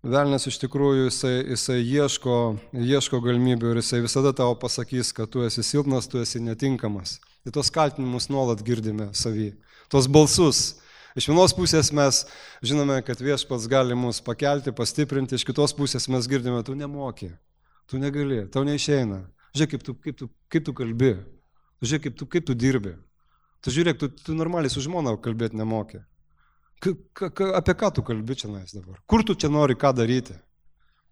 Speaker 1: velnias iš tikrųjų jisai ieško galimybių ir jisai visada tau pasakys, kad tu esi silpnas, tu esi netinkamas. Ir tos kaltinimus nuolat girdime savy. Tos balsus. Iš vienos pusės mes žinome, kad Viešpats gali mus pakelti, pastiprinti, iš kitos pusės mes girdime, tu nemoki, tu negali, tau neišeina. Žiūrėk, kaip tu kalbi, žiūrėk, kaip tu dirbi. Tu žiūrėk, tu normaliai su žmona kalbėti nemoki. Apie ką tu kalbi čia dabar? Kur tu čia nori ką daryti?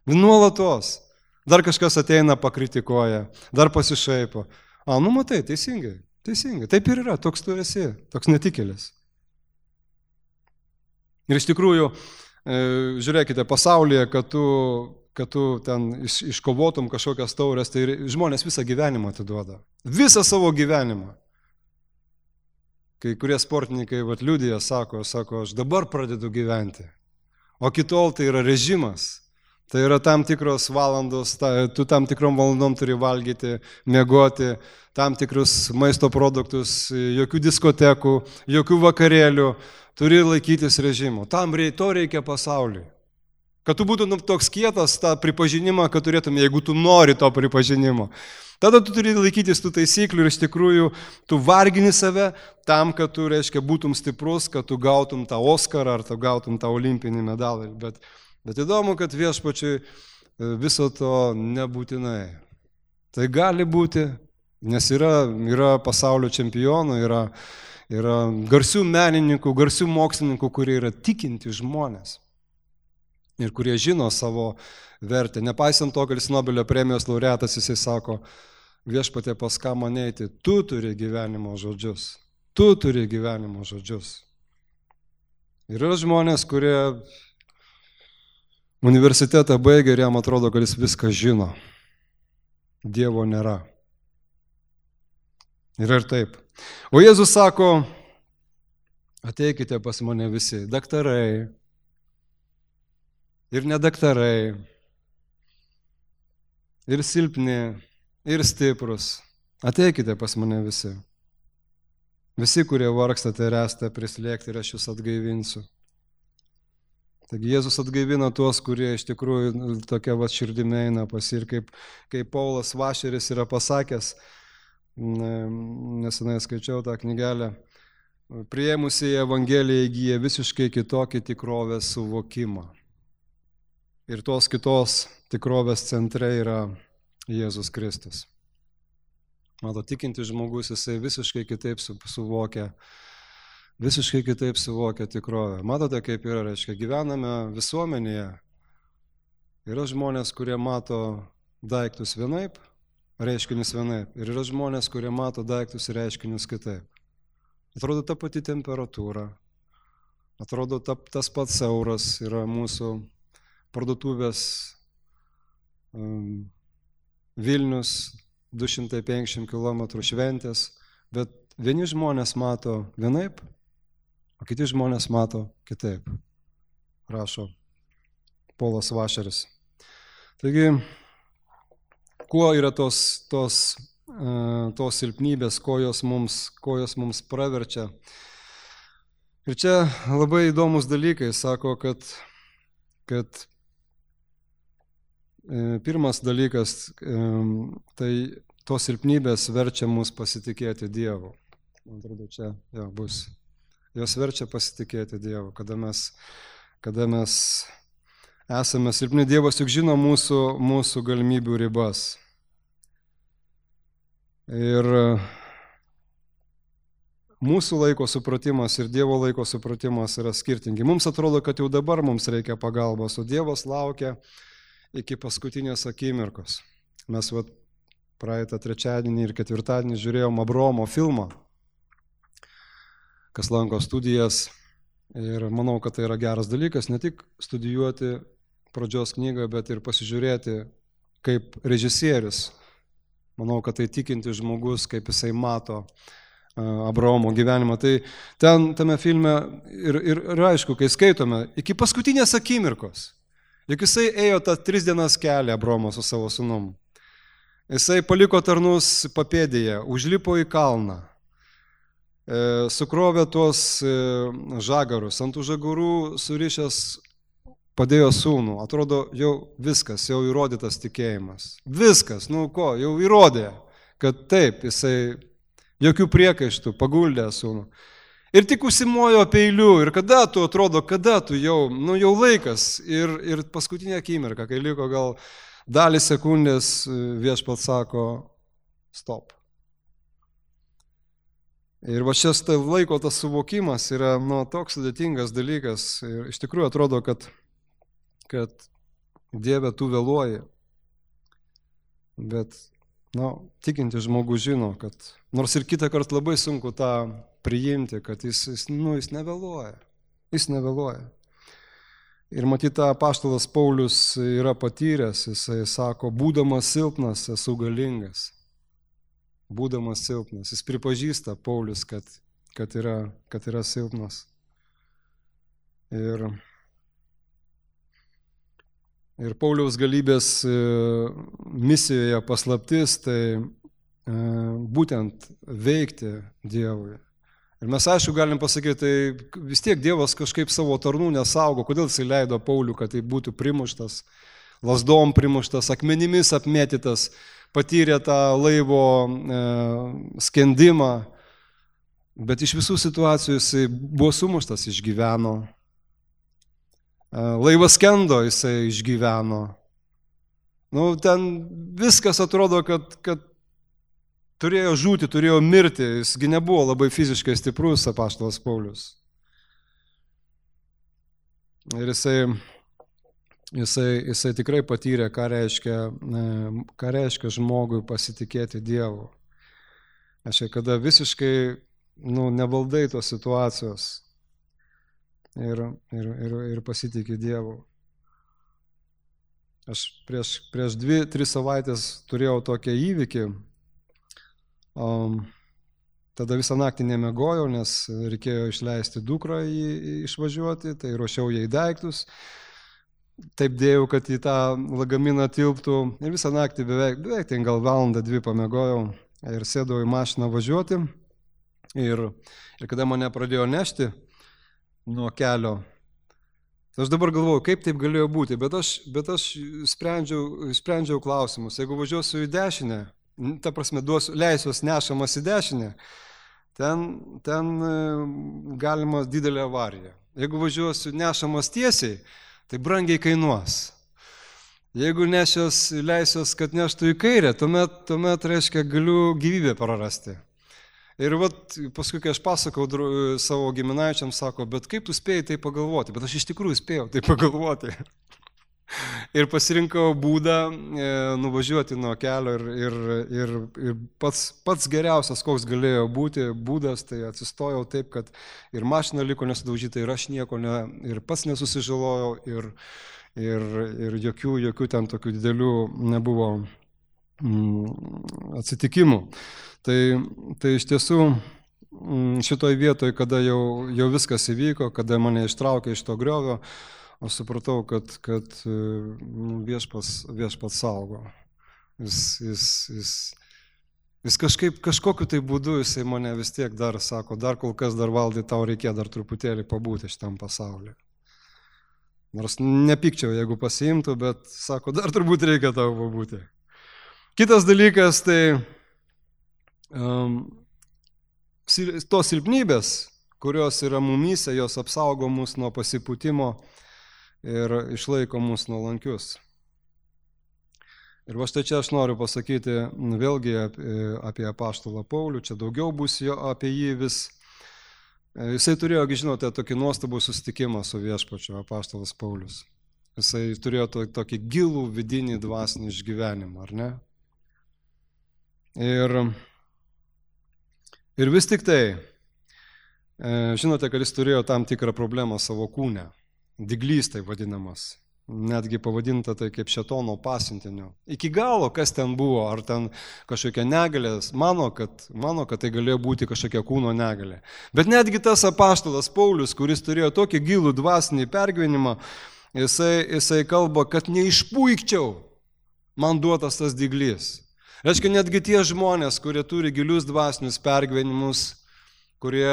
Speaker 1: Nuolatos. Dar kažkas ateina, pakritikuoja, dar pasišaipo. Nu matai, teisingai. Taip ir yra, toks tu esi, toks netikėlis. Ir iš tikrųjų, žiūrėkite, pasaulyje, kad tu ten iškovotum kažkokias taurės, tai žmonės visą gyvenimą atiduoda. Visą savo gyvenimą. Kai kurie sportininkai liudija, sako, aš dabar pradedu gyventi. O kitol tai yra režimas. Tai yra tam tikros valandos, tu tam tikrom valandom turi valgyti, miegoti, tam tikrus maisto produktus, jokių diskotekų, jokių vakarėlių, turi laikytis režimo. To reikia pasauliui. Kad tu būtum toks kietas tą pripažinimą, kad turėtum, jeigu tu nori to pripažinimo. Tada tu turi laikytis tų taisyklių ir iš tikrųjų tu vargini save tam, kad tu, būtum stiprus, kad tu gautum tą Oskarą ar tu gautum tą olimpinį medalį. Bet įdomu, kad Viešpačiui viso to nebūtinai. Tai gali būti, nes yra pasaulio čempionų, yra garsių menininkų, garsių mokslininkų, kurie yra tikinti žmonės ir kurie žino savo vertę. Nepaisant to, kad jis Nobelio premijos laureatas, jisai sako, Viešpatie, pas ką man eiti, tu turi gyvenimo žodžius. Tu turi gyvenimo žodžius. Ir yra žmonės, kurie universitetą baigia ir jam atrodo, kad jis viską žino. Dievo nėra. Ir taip. O Jėzus sako, ateikite pas mane visi, daktarai ir nedaktarai, ir silpni, ir stiprus. Ateikite pas mane visi. Visi, kurie vargstate ir esate prislėgti, ir aš jūs atgaivinsiu. Taigi Jėzus atgaivina tuos, kurie iš tikrųjų tokia širdimi eina pas jį. Ir kaip Paulas Vašeris yra pasakęs, nesenai skaičiau tą knygelę, priėmusiai Evangeliją įgyja visiškai kitokį tikrovės suvokimą. Ir tos kitos tikrovės centre yra Jėzus Kristus. Mato, tikintis žmogus, jisai visiškai kitaip suvokia tikrovę. Matote, kaip yra, gyvename visuomenėje. Yra žmonės, kurie mato daiktus vienaip, reiškinius vienaip. Ir yra žmonės, kurie mato daiktus ir reiškinius kitaip. Atrodo ta pati temperatūra, atrodo tas pats euras yra mūsų parduotuvės Vilnius, 250 km šventės, bet vieni žmonės mato vienaip, o kiti žmonės mato kitaip, rašo Paulas Vašeris. Taigi, kuo yra tos silpnybės, ko jos mums praverčia. Ir čia labai įdomus dalykai, sako, kad pirmas dalykas, tai tos silpnybės verčia mus pasitikėti Dievu. Man atrodo, čia bus. Jos verčia pasitikėti Dievu, kada mes esame silpni. Dievas juk žino mūsų galimybių ribas. Ir mūsų laiko supratimas ir Dievo laiko supratimas yra skirtingi. Mums atrodo, kad jau dabar mums reikia pagalbos, o Dievas laukia iki paskutinės akimirkos. Mes praeitą trečiadienį ir ketvirtadienį žiūrėjom Abraomo filmą, kas lanko studijas. Ir manau, kad tai yra geras dalykas, ne tik studijuoti pradžios knygą, bet ir pasižiūrėti kaip režisierius. Manau, kad tai tikinti žmogus, kaip jisai mato Abraomo gyvenimą. Tai ten tame filme ir aišku, kai skaitome, iki paskutinės akimirkos, juk jisai ėjo tą 3 dienas kelią Abraomo su savo sūnum. Jisai paliko tarnus papėdėje, užlipo į kalną, sukrovė tuos žagarus, ant tų žagarų surišęs padėjo sūnų. Atrodo, jau viskas, jau įrodytas tikėjimas. Viskas, jau įrodė, kad taip, jisai jokių priekaištų, paguldė sūnų. Ir tik užsimojo peiliu. Ir kada tu jau laikas. Ir paskutinė akimirka, kai liko gal dalį sekundės, Viešpats sako, stop. Ir va šis laiko tas suvokimas yra toks sudėtingas dalykas. Ir iš tikrųjų atrodo, kad Dieve tu vėluoji. Bet tikintis žmogus žino, kad nors ir kitą kartą labai sunku tą priimti, kad jis nevėluoja. Jis nevėluoja. Ir matyt, tą apaštalas Paulius yra patyręs, jisai sako, būdamas silpnas, esu galingas. Būdamas silpnas. Jis pripažįsta Paulius, kad yra silpnas. Ir Pauliaus galybės misijoje paslaptis, tai būtent veikti Dievui. Ir mes aišku galim pasakyti, tai vis tiek Dievas kažkaip savo tarnų nesaugo, kodėl jis leido Paulių, kad tai būtų primuštas, lasdom primuštas, akmenimis apmėtytas, patyrė tą laivo skendimą, bet iš visų situacijų jisai buvo sumuštas, išgyveno. Laivas skendo, jisai išgyveno. Ten viskas atrodo, kad turėjo žūti, turėjo mirti. Jisgi nebuvo labai fiziškai stiprus apaštalas Paulius. Ir jisai tikrai patyrė, ką reiškia žmogui pasitikėti Dievu. Kada visiškai nevaldai tos situacijos. Ir pasitikė Dievu. Aš prieš 2-3 savaitės turėjau tokią įvykį. Tada visą naktį nemiegojau, nes reikėjo išleisti dukrą išvažiuoti, tai ruošiau jai daiktus. Taip dėjau, kad į tą lagaminą tilptų. Ir visą naktį beveik ten gal valandą 2 pamiegojau ir sėdau į mašiną važiuoti. Ir kada mane pradėjo nešti nuo kelio. Aš dabar galvoju, kaip taip galėjo būti, bet aš sprendžiau klausimus. Jeigu važiuosiu į dešinę, ta prasme, leisiuos nešamas į dešinę, ten galima didelė avarija. Jeigu važiuosiu nešamas tiesiai, tai brangiai kainuos. Jeigu leisiuos, kad neštų į kairę, tuomet reiškia, galiu gyvybę prarasti. Ir paskui, kai aš pasakau savo giminaičiams, sako, bet kaip tu spėjai tai pagalvoti? Bet aš iš tikrųjų spėjau tai pagalvoti. Ir pasirinkau būdą nuvažiuoti nuo kelio ir pats geriausias, koks galėjo būti būdas, tai atsistojau taip, kad ir mašina liko nesudaužyta, ir aš nieko ir pats nesusižalojau, ir jokių ten tokių didelių nebuvo atsitikimų. Tai iš tiesų šitoj vietoj, kada jau viskas įvyko, kada mane ištraukė iš to griovio, aš supratau, kad Viešpats saugo. Jis kažkokiu tai būdu jisai mane vis tiek dar sako, dar kol kas dar valdai, tau reikėjo dar truputėlį pabūti šitam pasaulyje. Nors nepykčiau, jeigu pasiimtų, bet sako, dar turbūt reikia tau pabūti. Kitas dalykas, tai tos silpnybės, kurios yra mumyse, jos apsaugo mus nuo pasipūtimo ir išlaiko mus nuolankius. Ir štai čia aš noriu pasakyti vėlgi apie apaštalą Paulių, čia daugiau bus apie jį vis. Jisai turėjo, žinote, tokį nuostabų susitikimą su Viešpačiu, apaštalas Paulius. Jisai turėjo tokį gilų vidinį dvasinį išgyvenimą, ar ne? Ir vis tik tai, žinote, kad jis turėjo tam tikrą problemą savo kūne, dyglys tai vadinamas. netgi pavadinta tai kaip šėtono pasiuntiniu. Iki galo, kas ten buvo, ar ten kažkokia negalė, mano, kad tai galėjo būti kažkokia kūno negalė. Bet netgi tas apaštalas Paulius, kuris turėjo tokį gilų dvasinį pergyvenimą, jisai kalba, kad neišpuikčiau man duotas tas dyglys. Reiškia, netgi tie žmonės, kurie turi gilius dvasinius pergyvenimus, kurie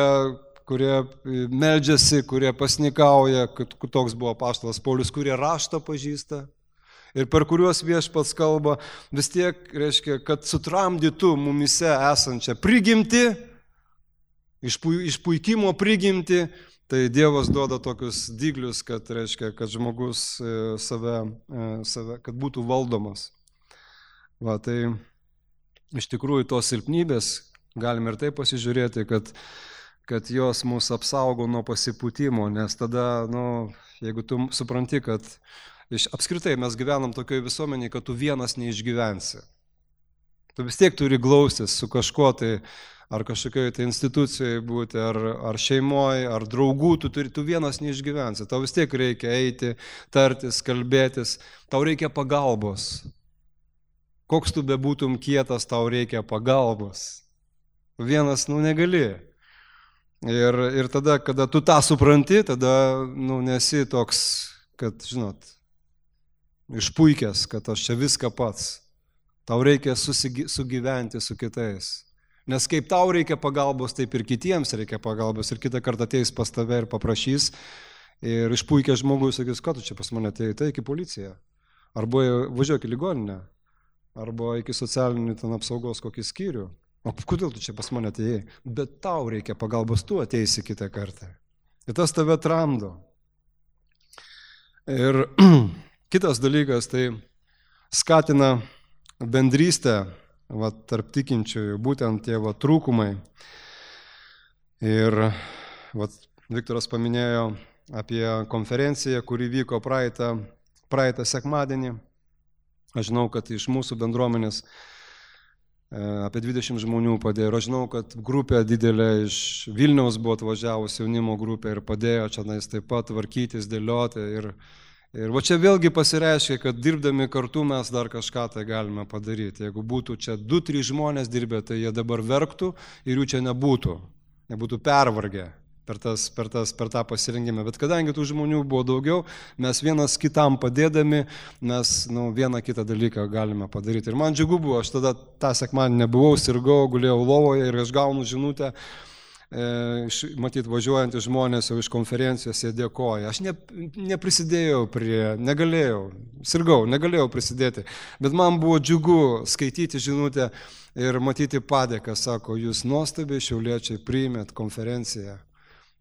Speaker 1: meldžiasi, kurie pasnikauja, kad toks buvo apaštalas Paulius, kurie raštą pažįsta ir per kuriuos viešpats kalba, vis tiek reiškia, kad sutramdytų mumise esančią prigimtį, išpuikimo prigimtį, tai Dievas duoda tokius dyglius, kad reiškia, kad žmogus save, kad būtų valdomas. Va, tai iš tikrųjų tos silpnybės, galime ir taip pasižiūrėti, kad jos mus apsaugo nuo pasipūtimo, nes tada, jeigu tu supranti, kad apskritai mes gyvenam tokioje visuomenėje, kad tu vienas neišgyvensi. Tu vis tiek turi glaustis su kažkuo, tai ar kažkokioje tai institucijoje būti, ar šeimoje, ar draugų, tu vienas neišgyvensi. Tau vis tiek reikia eiti, tartis, kalbėtis, tau reikia pagalbos. Koks tu bebūtum kietas, tau reikia pagalbos. Vienas, negali. Ir tada, kada tu tą supranti, tada, nesi toks, kad, išpuikęs, kad aš čia viską pats. Tau reikia sugyventi su kitais. Nes kaip tau reikia pagalbos, taip ir kitiems reikia pagalbos. Ir kitą kartą ateis pas tave ir paprašys. Ir išpuikęs žmogus sakys, ką tu čia pas mane atėjai, tai iki policiją. Arba važiuok į ligoninę. Arba iki socialinių ten apsaugos kokį skyrių. O kodėl tu čia pas mane atėjai? Bet tau reikia pagalbos, tu ateisi kitą kartą. Ir tas tave tramdo. Ir kitas dalykas, tai skatina bendrystę tarp tikinčiųjų, būtent tie trūkumai. Ir Viktoras paminėjo apie konferenciją, kuri vyko praeitą sekmadienį. Aš žinau, kad iš mūsų bendruomenės apie 20 žmonių padėjo. Aš žinau, kad grupė didelė iš Vilniaus buvo atvažiavusi, jaunimo grupė, ir padėjo čia taip pat tvarkytis, dėlioti. Ir va čia vėlgi pasireiškia, kad dirbdami kartu mes dar kažką tai galime padaryti. Jeigu būtų čia 2-3 žmonės dirbę, tai jie dabar verktų ir jų čia nebūtų pervargę per tą pasirinkimą. Bet kadangi tų žmonių buvo daugiau, mes vienas kitam padėdami, mes vieną kitą dalyką galime padaryti. Ir man džiugu buvo, aš tada tą sekmadienį nebuvau, sirgau, gulėjau lovoje ir aš gaunu žinutę, matyt, važiuojantys žmonės jau iš konferencijos, jie dėkoja. Aš neprisidėjau negalėjau prisidėti, bet man buvo džiugu skaityti žinutę ir matyti padėką, sako, jūs nuostabiai šiauliečiai priėmėt konferenciją.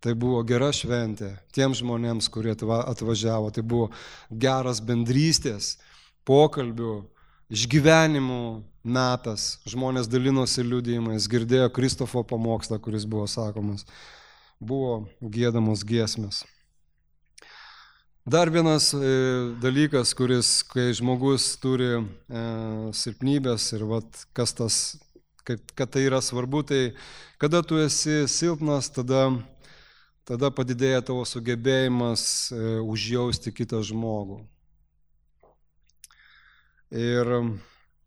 Speaker 1: Tai buvo gera šventė tiems žmonėms, kurie atvažiavo, tai buvo geras bendrystės, pokalbių, išgyvenimų metas, žmonės dalinosi liudijimais, girdėjo Kristofo pamokslą, kuris buvo sakomas, buvo giedamos giesmės. Dar vienas dalykas, kai žmogus turi silpnybės ir kad tai yra svarbu, tai kada tu esi silpnas, tada padidėja tavo sugebėjimas užjausti kitą žmogų. Ir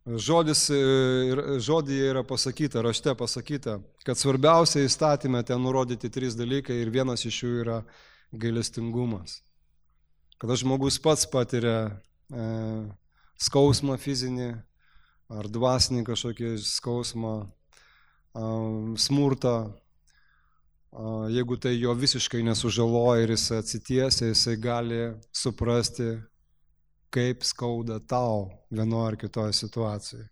Speaker 1: žodyje yra pasakyta, rašte pasakyta, kad svarbiausia įstatymė ten nurodyti 3 dalykai ir vienas iš jų yra gailestingumas. Kada žmogus pats patiria skausmą fizinį ar dvasinį kažkokį skausmą, smurtą, jeigu tai jo visiškai nesužaloja ir jis atsitiesia, jisai gali suprasti, kaip skauda tau vienoje ar kitoje situacijoje.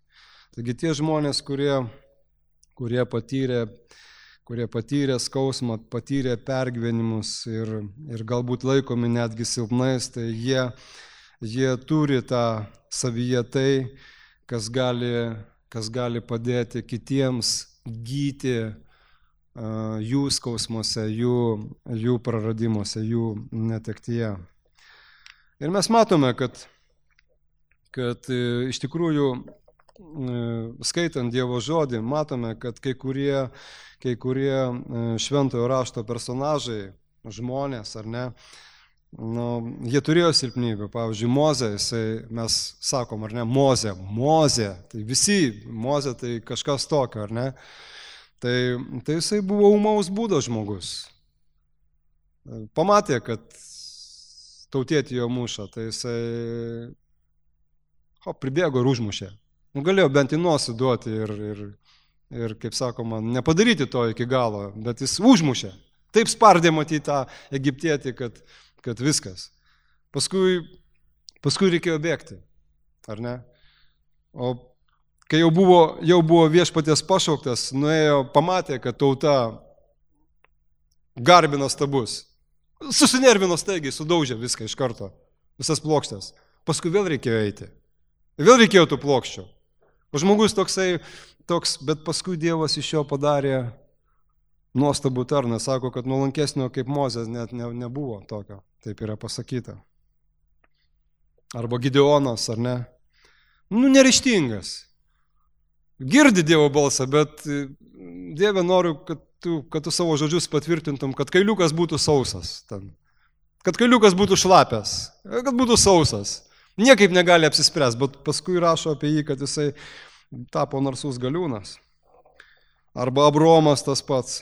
Speaker 1: Taigi tie žmonės, kurie patyrė skausmą, patyrė pergyvenimus ir galbūt laikomi netgi silpnais, tai jie turi tą savyje tai, kas gali padėti kitiems gyti jų skausmuose, jų praradimuose, jų netektyje. Ir mes matome, kad iš tikrųjų, skaitant Dievo žodį, matome, kad kai kurie šventojo rašto personažai, žmonės, ar ne, Jie turėjo silpnybių. Pavyzdžiui, Mozė, mes sakom, ar ne, Mozė, tai visi, Mozė tai kažkas tokio, ar ne? Tai jisai buvo ūmaus būdo žmogus. Pamatė, kad tautietį jo muša, tai jisai pribėgo ir užmušė. Galėjo bent į nosį duoti ir, kaip sakoma, nepadaryti to iki galo, bet jis užmušė. Taip spardė matyti tą egiptietį, kad viskas. Paskui reikėjo bėgti, ar ne? O kai jau buvo viešpaties pašauktas, nuėjo, pamatė, kad tauta garbino stabus. Susinervino staigiai, sudaužė viską iš karto, visas plokštės. Paskui vėl reikėjo eiti. Vėl reikėjo tų plokščių. O žmogus toks, bet paskui Dievas iš jo padarė nuostabų tarną. Sako, kad nuolankesnio kaip Mozės net nebuvo tokio. Taip yra pasakyta. Arba Gideonas, ar ne? Neryžtingas. Girdi Dievo balsą, bet Dieve noriu, kad tu savo žodžius patvirtintum, kad kailiukas būtų sausas. Kad kailiukas būtų šlapęs. Kad būtų sausas. Niekaip negali apsispręs, bet paskui rašo apie jį, kad jisai tapo narsus galiūnas. Arba Abromas tas pats.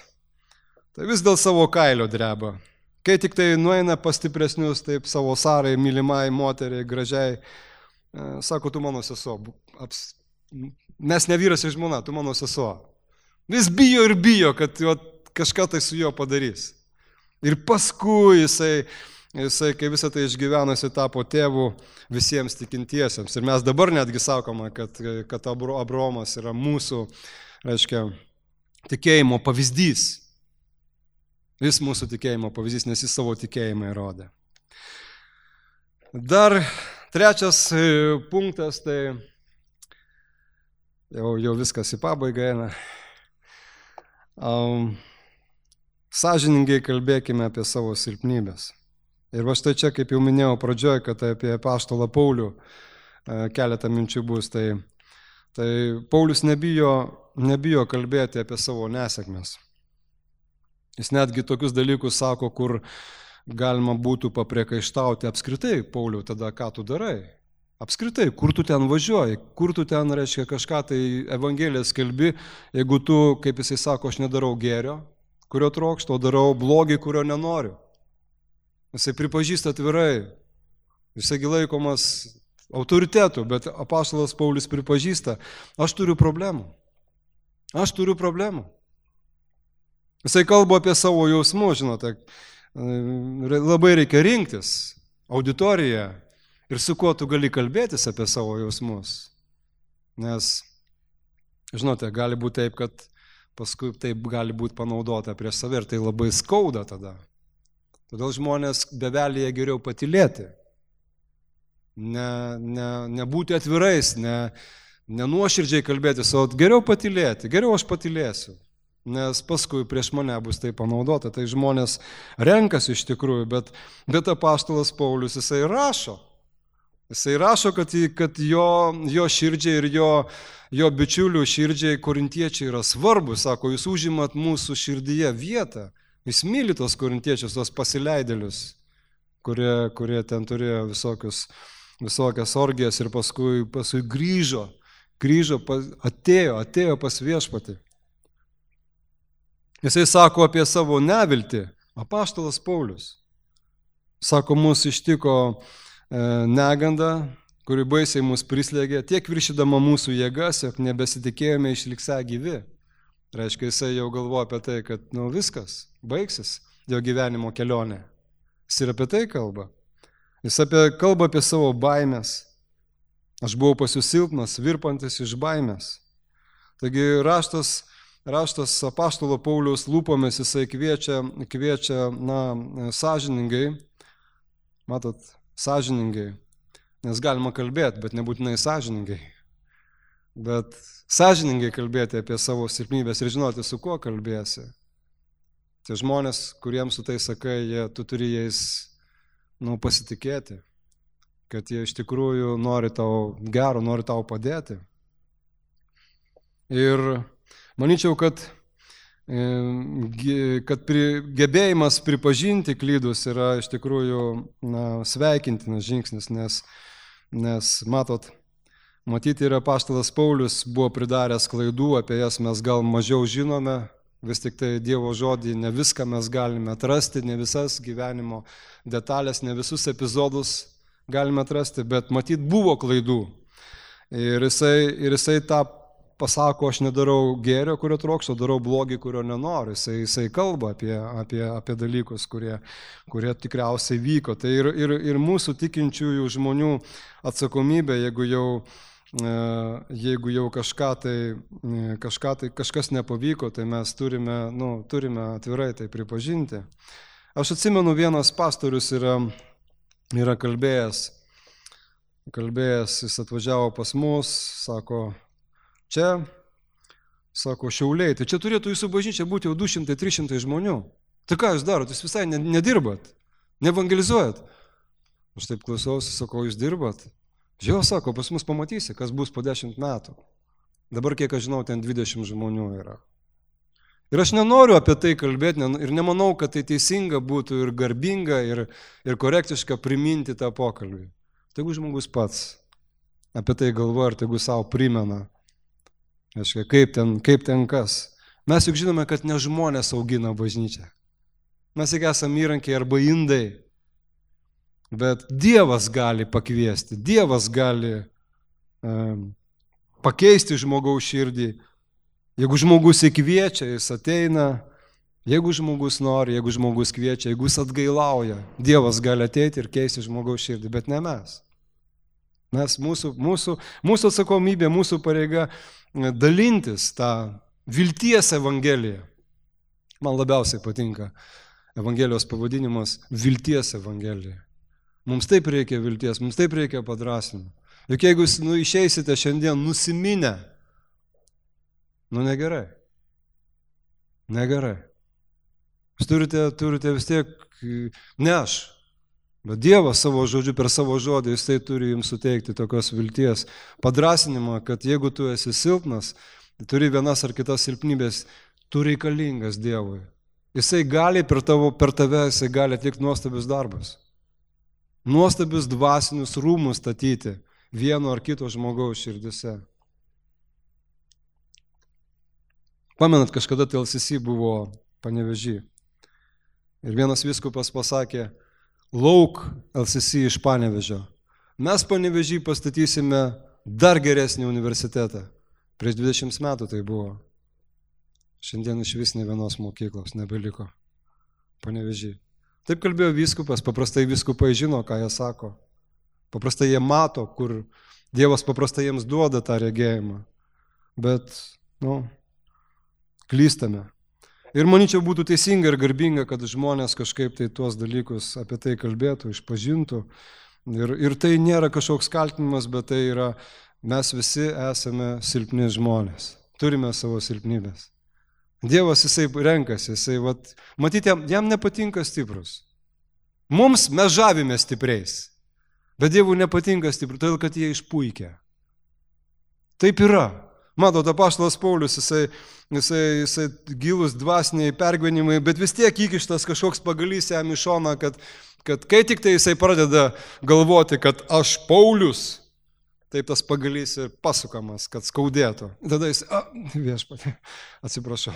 Speaker 1: Tai vis dėl savo kailio dreba. Kai tik tai nueina pas stipresnius, taip savo Sarai, mylimai, moteriai, gražiai, sako, tu mano sesuo. Mes ne vyras ir žmona, tu mano sesuo. Vis bijo ir bijo, kad kažką tai su juo padarys. Ir paskui jisai, kai visą tai išgyvenosi, tapo tėvu visiems tikintiesiems. Ir mes dabar netgi sakome, kad Abromas yra mūsų, reiškia, tikėjimo pavyzdys. Jis mūsų tikėjimo pavyzdys, nes jis savo tikėjimą įrodė. Dar trečias punktas, tai jau viskas į pabaigą eina. Sąžiningai kalbėkime apie savo silpnybės. Ir va štai čia, kaip jau minėjau pradžioje, kad apie apaštalą Paulių keletą minčių bus, tai Paulius nebijo kalbėti apie savo nesėkmes. Jis netgi tokius dalykus sako, kur galima būtų papriekaištauti apskritai, Pauliau, tada ką tu darai? Apskritai, kur tu ten važiuoji, kur tu ten, reiškia, kažką tai Evangeliją skelbi, jeigu tu, kaip jisai sako, aš nedarau gėrio, kurio trokštu, o darau blogį, kurio nenoriu. Jisai pripažįsta atvirai, jisai laikomas autoritetu, bet apaštalas Paulius pripažįsta, aš turiu problemų. Jisai kalba apie savo jausmus, žinote, labai reikia rinktis auditoriją ir su kuo tu gali kalbėtis apie savo jausmus. Nes, žinote, gali būti taip, kad paskui taip gali būti panaudota prieš save ir tai labai skauda tada. Todėl žmonės bevelyje geriau patylėti, nebūti atvirais, nenuoširdžiai kalbėtis, o geriau patylėti, geriau aš patylėsiu. Nes paskui prieš mane bus tai panaudota, tai žmonės renkasi iš tikrųjų, bet apaštalas Paulius jisai rašo, kad jo širdžiai ir jo bičiulių širdžiai korintiečiai yra svarbus, sako, jūs užimat mūsų širdyje vietą, jis myli tos korintiečius, tos pasileidėlius, kurie ten turėjo visokias orgijas ir paskui grįžo, atėjo pas viešpatį. Jisai sako apie savo neviltį, apaštalas Paulius. Sako, mus ištiko neganda, kuri baisiai mus prislėgė, tiek viršydama mūsų jėgas, jog nebesitikėjome išliksę gyvi. Reiškia, jisai jau galvoja apie tai, kad viskas, baigsis jo gyvenimo kelionė. Jis ir apie tai kalba. Jis kalba apie savo baimės. Aš buvau pas jūs silpnas, virpantis iš baimės. Taigi raštas apaštalo Pauliaus lūpomis, jisai kviečia, sąžiningai, matot, sąžiningai, nes galima kalbėti, bet nebūtinai sąžiningai. Bet sąžiningai kalbėti apie savo silpnybės ir žinoti, su kuo kalbėsi. Tie žmonės, kuriems su tai sakai, tu turi jais pasitikėti, kad jie iš tikrųjų nori tau gero, nori tau padėti. Ir manyčiau, kad kad gebėjimas pripažinti klydus yra iš tikrųjų sveikintinas žingsnis, nes matyti ir apaštalas Paulius buvo pridaręs klaidų, apie jas mes gal mažiau žinome, vis tik tai Dievo žodį ne viską mes galime atrasti, ne visas gyvenimo detalės, ne visus epizodus galime atrasti, bet matyt buvo klaidų. Ir jisai tą pasako, aš nedarau gėrio, kurio trokščiau, darau blogį, kurio nenoriu. Jisai kalba apie dalykus, kurie tikriausiai vyko. Tai ir mūsų tikinčiųjų žmonių atsakomybė, jeigu jau kažkas nepavyko, tai mes turime atvirai tai pripažinti. Aš atsimenu, vienas pastorius yra kalbėjęs, jis atvažiavo pas mus, sako, Šiauliai, tai čia turėtų jūsų bažnyčia būti jau 200-300 žmonių. Tai ką jūs darot, jūs visai nedirbat, neevangelizuojat. Aš taip klausausi, sakau, jūs dirbat? Žiūrėjau, sako, pas mus pamatysi, kas bus po 10 metų. Dabar, kiek aš žinau, ten 20 žmonių yra. Ir aš nenoriu apie tai kalbėti ir nemanau, kad tai teisinga būtų ir garbinga, ir korektiška priminti tą pokalbį. Tegu žmogus pats apie tai galvoja ir tegu savo primena. Aiškia, kaip ten kas. Mes juk žinome, kad ne žmonės augina bažnyčią. Mes juk esame įrankiai arba indai. Bet Dievas gali pakviesti, Dievas gali pakeisti žmogaus širdį. Jeigu žmogus įkviečia, jis ateina. Jeigu žmogus nori, jeigu žmogus kviečia, jeigu jis atgailauja, Dievas gali ateiti ir keisti žmogaus širdį, bet ne mes. Mūsų atsakomybė, mūsų pareiga dalintis tą vilties evangeliją. Man labiausiai patinka evangelijos pavadinimas vilties evangelija. Mums taip reikia vilties, mums taip reikia padrasinimo. Juk jeigu jūs išeisite šiandien nusiminę, negerai. Negerai. Jūs turite vis tiek, ne aš, bet Dievas savo žodžiu, per savo žodį, jis tai turi jums suteikti tokios vilties, padrasinimą, kad jeigu tu esi silpnas, turi vienas ar kitas silpnybės, tu reikalingas Dievui. Jisai gali per tave, jisai gali atlikti nuostabius darbus. Nuostabius dvasinius rūmus statyti vieno ar kito žmogaus širdise. Pamenat, kažkada TLCC buvo Panevėžy. Ir vienas vyskupas pasakė, lauk LCC iš Panevėžio. Mes Panevėžy pastatysime dar geresnį universitetą. Prieš 20 metų tai buvo. Šiandien iš vis ne vienos mokyklos nebeliko Panevėžy. Taip kalbėjo vyskupas, paprastai vyskupai žino, ką jie sako. Paprastai jie mato, kur Dievas paprastai jiems duoda tą regėjimą. Bet, klystame. Ir manyčiau būtų teisinga ir garbinga, kad žmonės kažkaip tai tuos dalykus apie tai kalbėtų, išpažintų. Ir tai nėra kažkoks kaltinimas, bet tai yra, mes visi esame silpni žmonės. Turime savo silpnybės. Dievas jisai renkasi, matyti, jam nepatinka stiprus. Mes žavime stipriais, bet Dievui nepatinka stiprus, todėl kad jie išpuikia. Taip yra. Matot, apaštalas Paulius, jisai gilus dvasiniai pergyvenimai, bet vis tiek įkištas kažkoks pagalys jam į šoną, kad kai tik tai jisai pradeda galvoti, kad aš Paulius, taip tas pagalys ir pasukamas, kad skaudėtų. Tada jis, viešpatie, atsiprašau.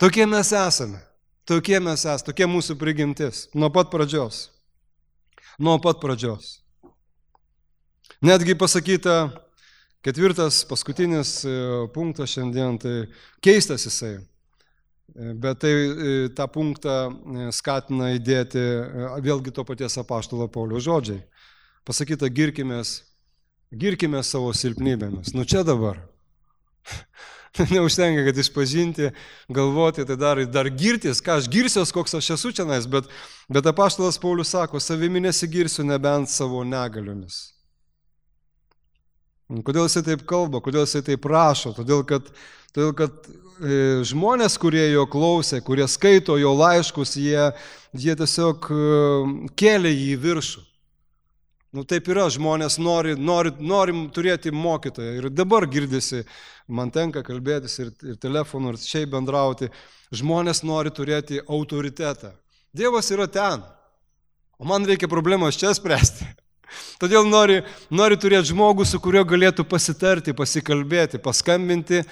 Speaker 1: Tokie mes esame, tokie mūsų prigimtis, nuo pat pradžios. Netgi pasakyta, 4. paskutinis punktas šiandien, tai keistas jisai, bet tai tą punktą skatina įdėti vėlgi to paties apaštalo Pauliaus žodžiai. Pasakyta, girkime savo silpnybėmis. Čia dabar. Neužtenka, kad išpažinti, galvoti, tai dar girtis, ką aš girsiuos, koks aš esu čianais, bet apaštalas Paulius sako, savimi nesigirsiu nebent savo negaliomis. Kodėl jisai taip kalba, kodėl jisai taip rašo? Todėl, kad žmonės, kurie jo klausė, kurie skaito jo laiškus, jie tiesiog kėlė jį į viršų. Taip yra, žmonės norim turėti mokytoją. Ir dabar girdisi, man tenka kalbėtis ir telefonu, ir šiaip bendrauti. Žmonės nori turėti autoritetą. Dievas yra ten, o man reikia problemas čia spręsti. Todėl nori turėti žmogų, su kuriuo galėtų pasitarti, pasikalbėti, paskambinti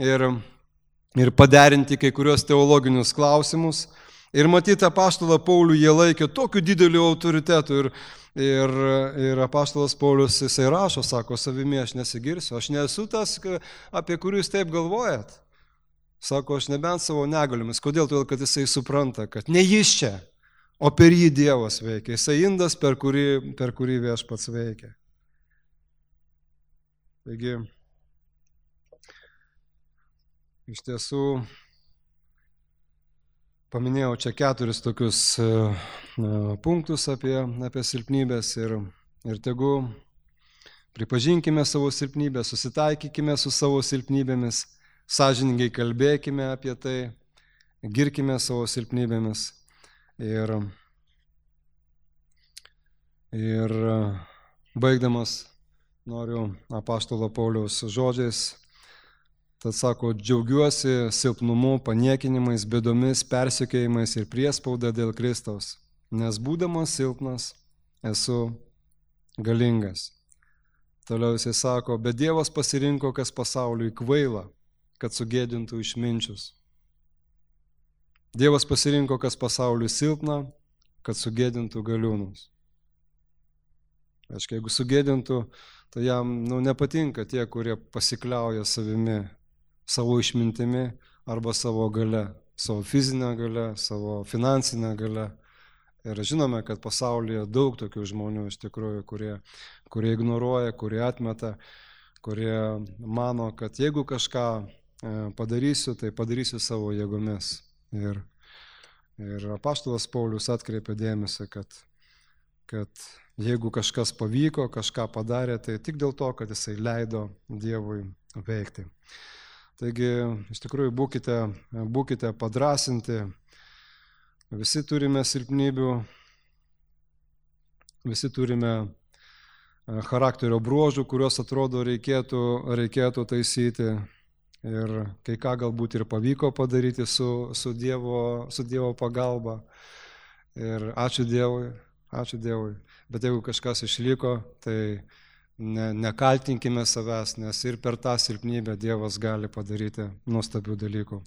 Speaker 1: ir paderinti kai kurios teologinius klausimus. Ir matyti apaštalą Paulių jie laikė tokiu dideliu autoritetu. Ir apaštalas Paulius, jisai rašo, sako, savimi aš nesigirsiu, aš nesu tas, apie kurį jūs taip galvojat. Sako, aš nebent savo negaliomis. Kodėl? Todėl, kad jisai supranta, kad ne jis čia, o per jį Dievas veikia. Jisai indas, per kurį Viešpats veikia. Taigi, iš tiesų, paminėjau čia 4 tokius punktus apie silpnybės ir tegu pripažinkime savo silpnybę, susitaikykime su savo silpnybėmis, sąžiningai kalbėkime apie tai, girkime savo silpnybėmis ir baigdamas noriu apaštalo Pauliaus žodžiais. Tad sako, džiaugiuosi silpnumu, paniekinimais, bėdomis, persekiojimais ir priespauda dėl Kristaus, nes būdamas silpnas esu galingas. Toliau jisai sako, bet Dievas pasirinko, kas pasauliui kvaila, kad sugėdintų išminčius. Dievas pasirinko, kas pasauliui silpna, kad sugėdintų galiūnus. Aiškiai, jeigu sugėdintų, tai jam nepatinka tie, kurie pasikliauja savimi, savo išmintimi arba savo gale, savo fizinę gale, savo finansinę gale. Ir žinome, kad pasaulyje daug tokių žmonių iš tikrųjų, kurie ignoruoja, kurie atmeta, kurie mano, kad jeigu kažką padarysiu, tai padarysiu savo jėgomis. Ir apaštalas Paulius atkreipė dėmesį, kad jeigu kažkas pavyko, kažką padarė, tai tik dėl to, kad jisai leido Dievui veikti. Taigi, iš tikrųjų, būkite padrasinti, visi turime silpnybių, visi turime charakterio bruožų, kuriuos atrodo reikėtų taisyti ir kai ką galbūt ir pavyko padaryti su Dievo pagalba. Ir ačiū Dievui, bet jeigu kažkas išliko, tai nekaltinkime savęs, nes ir per tą silpnybę Dievas gali padaryti nuostabių dalykų.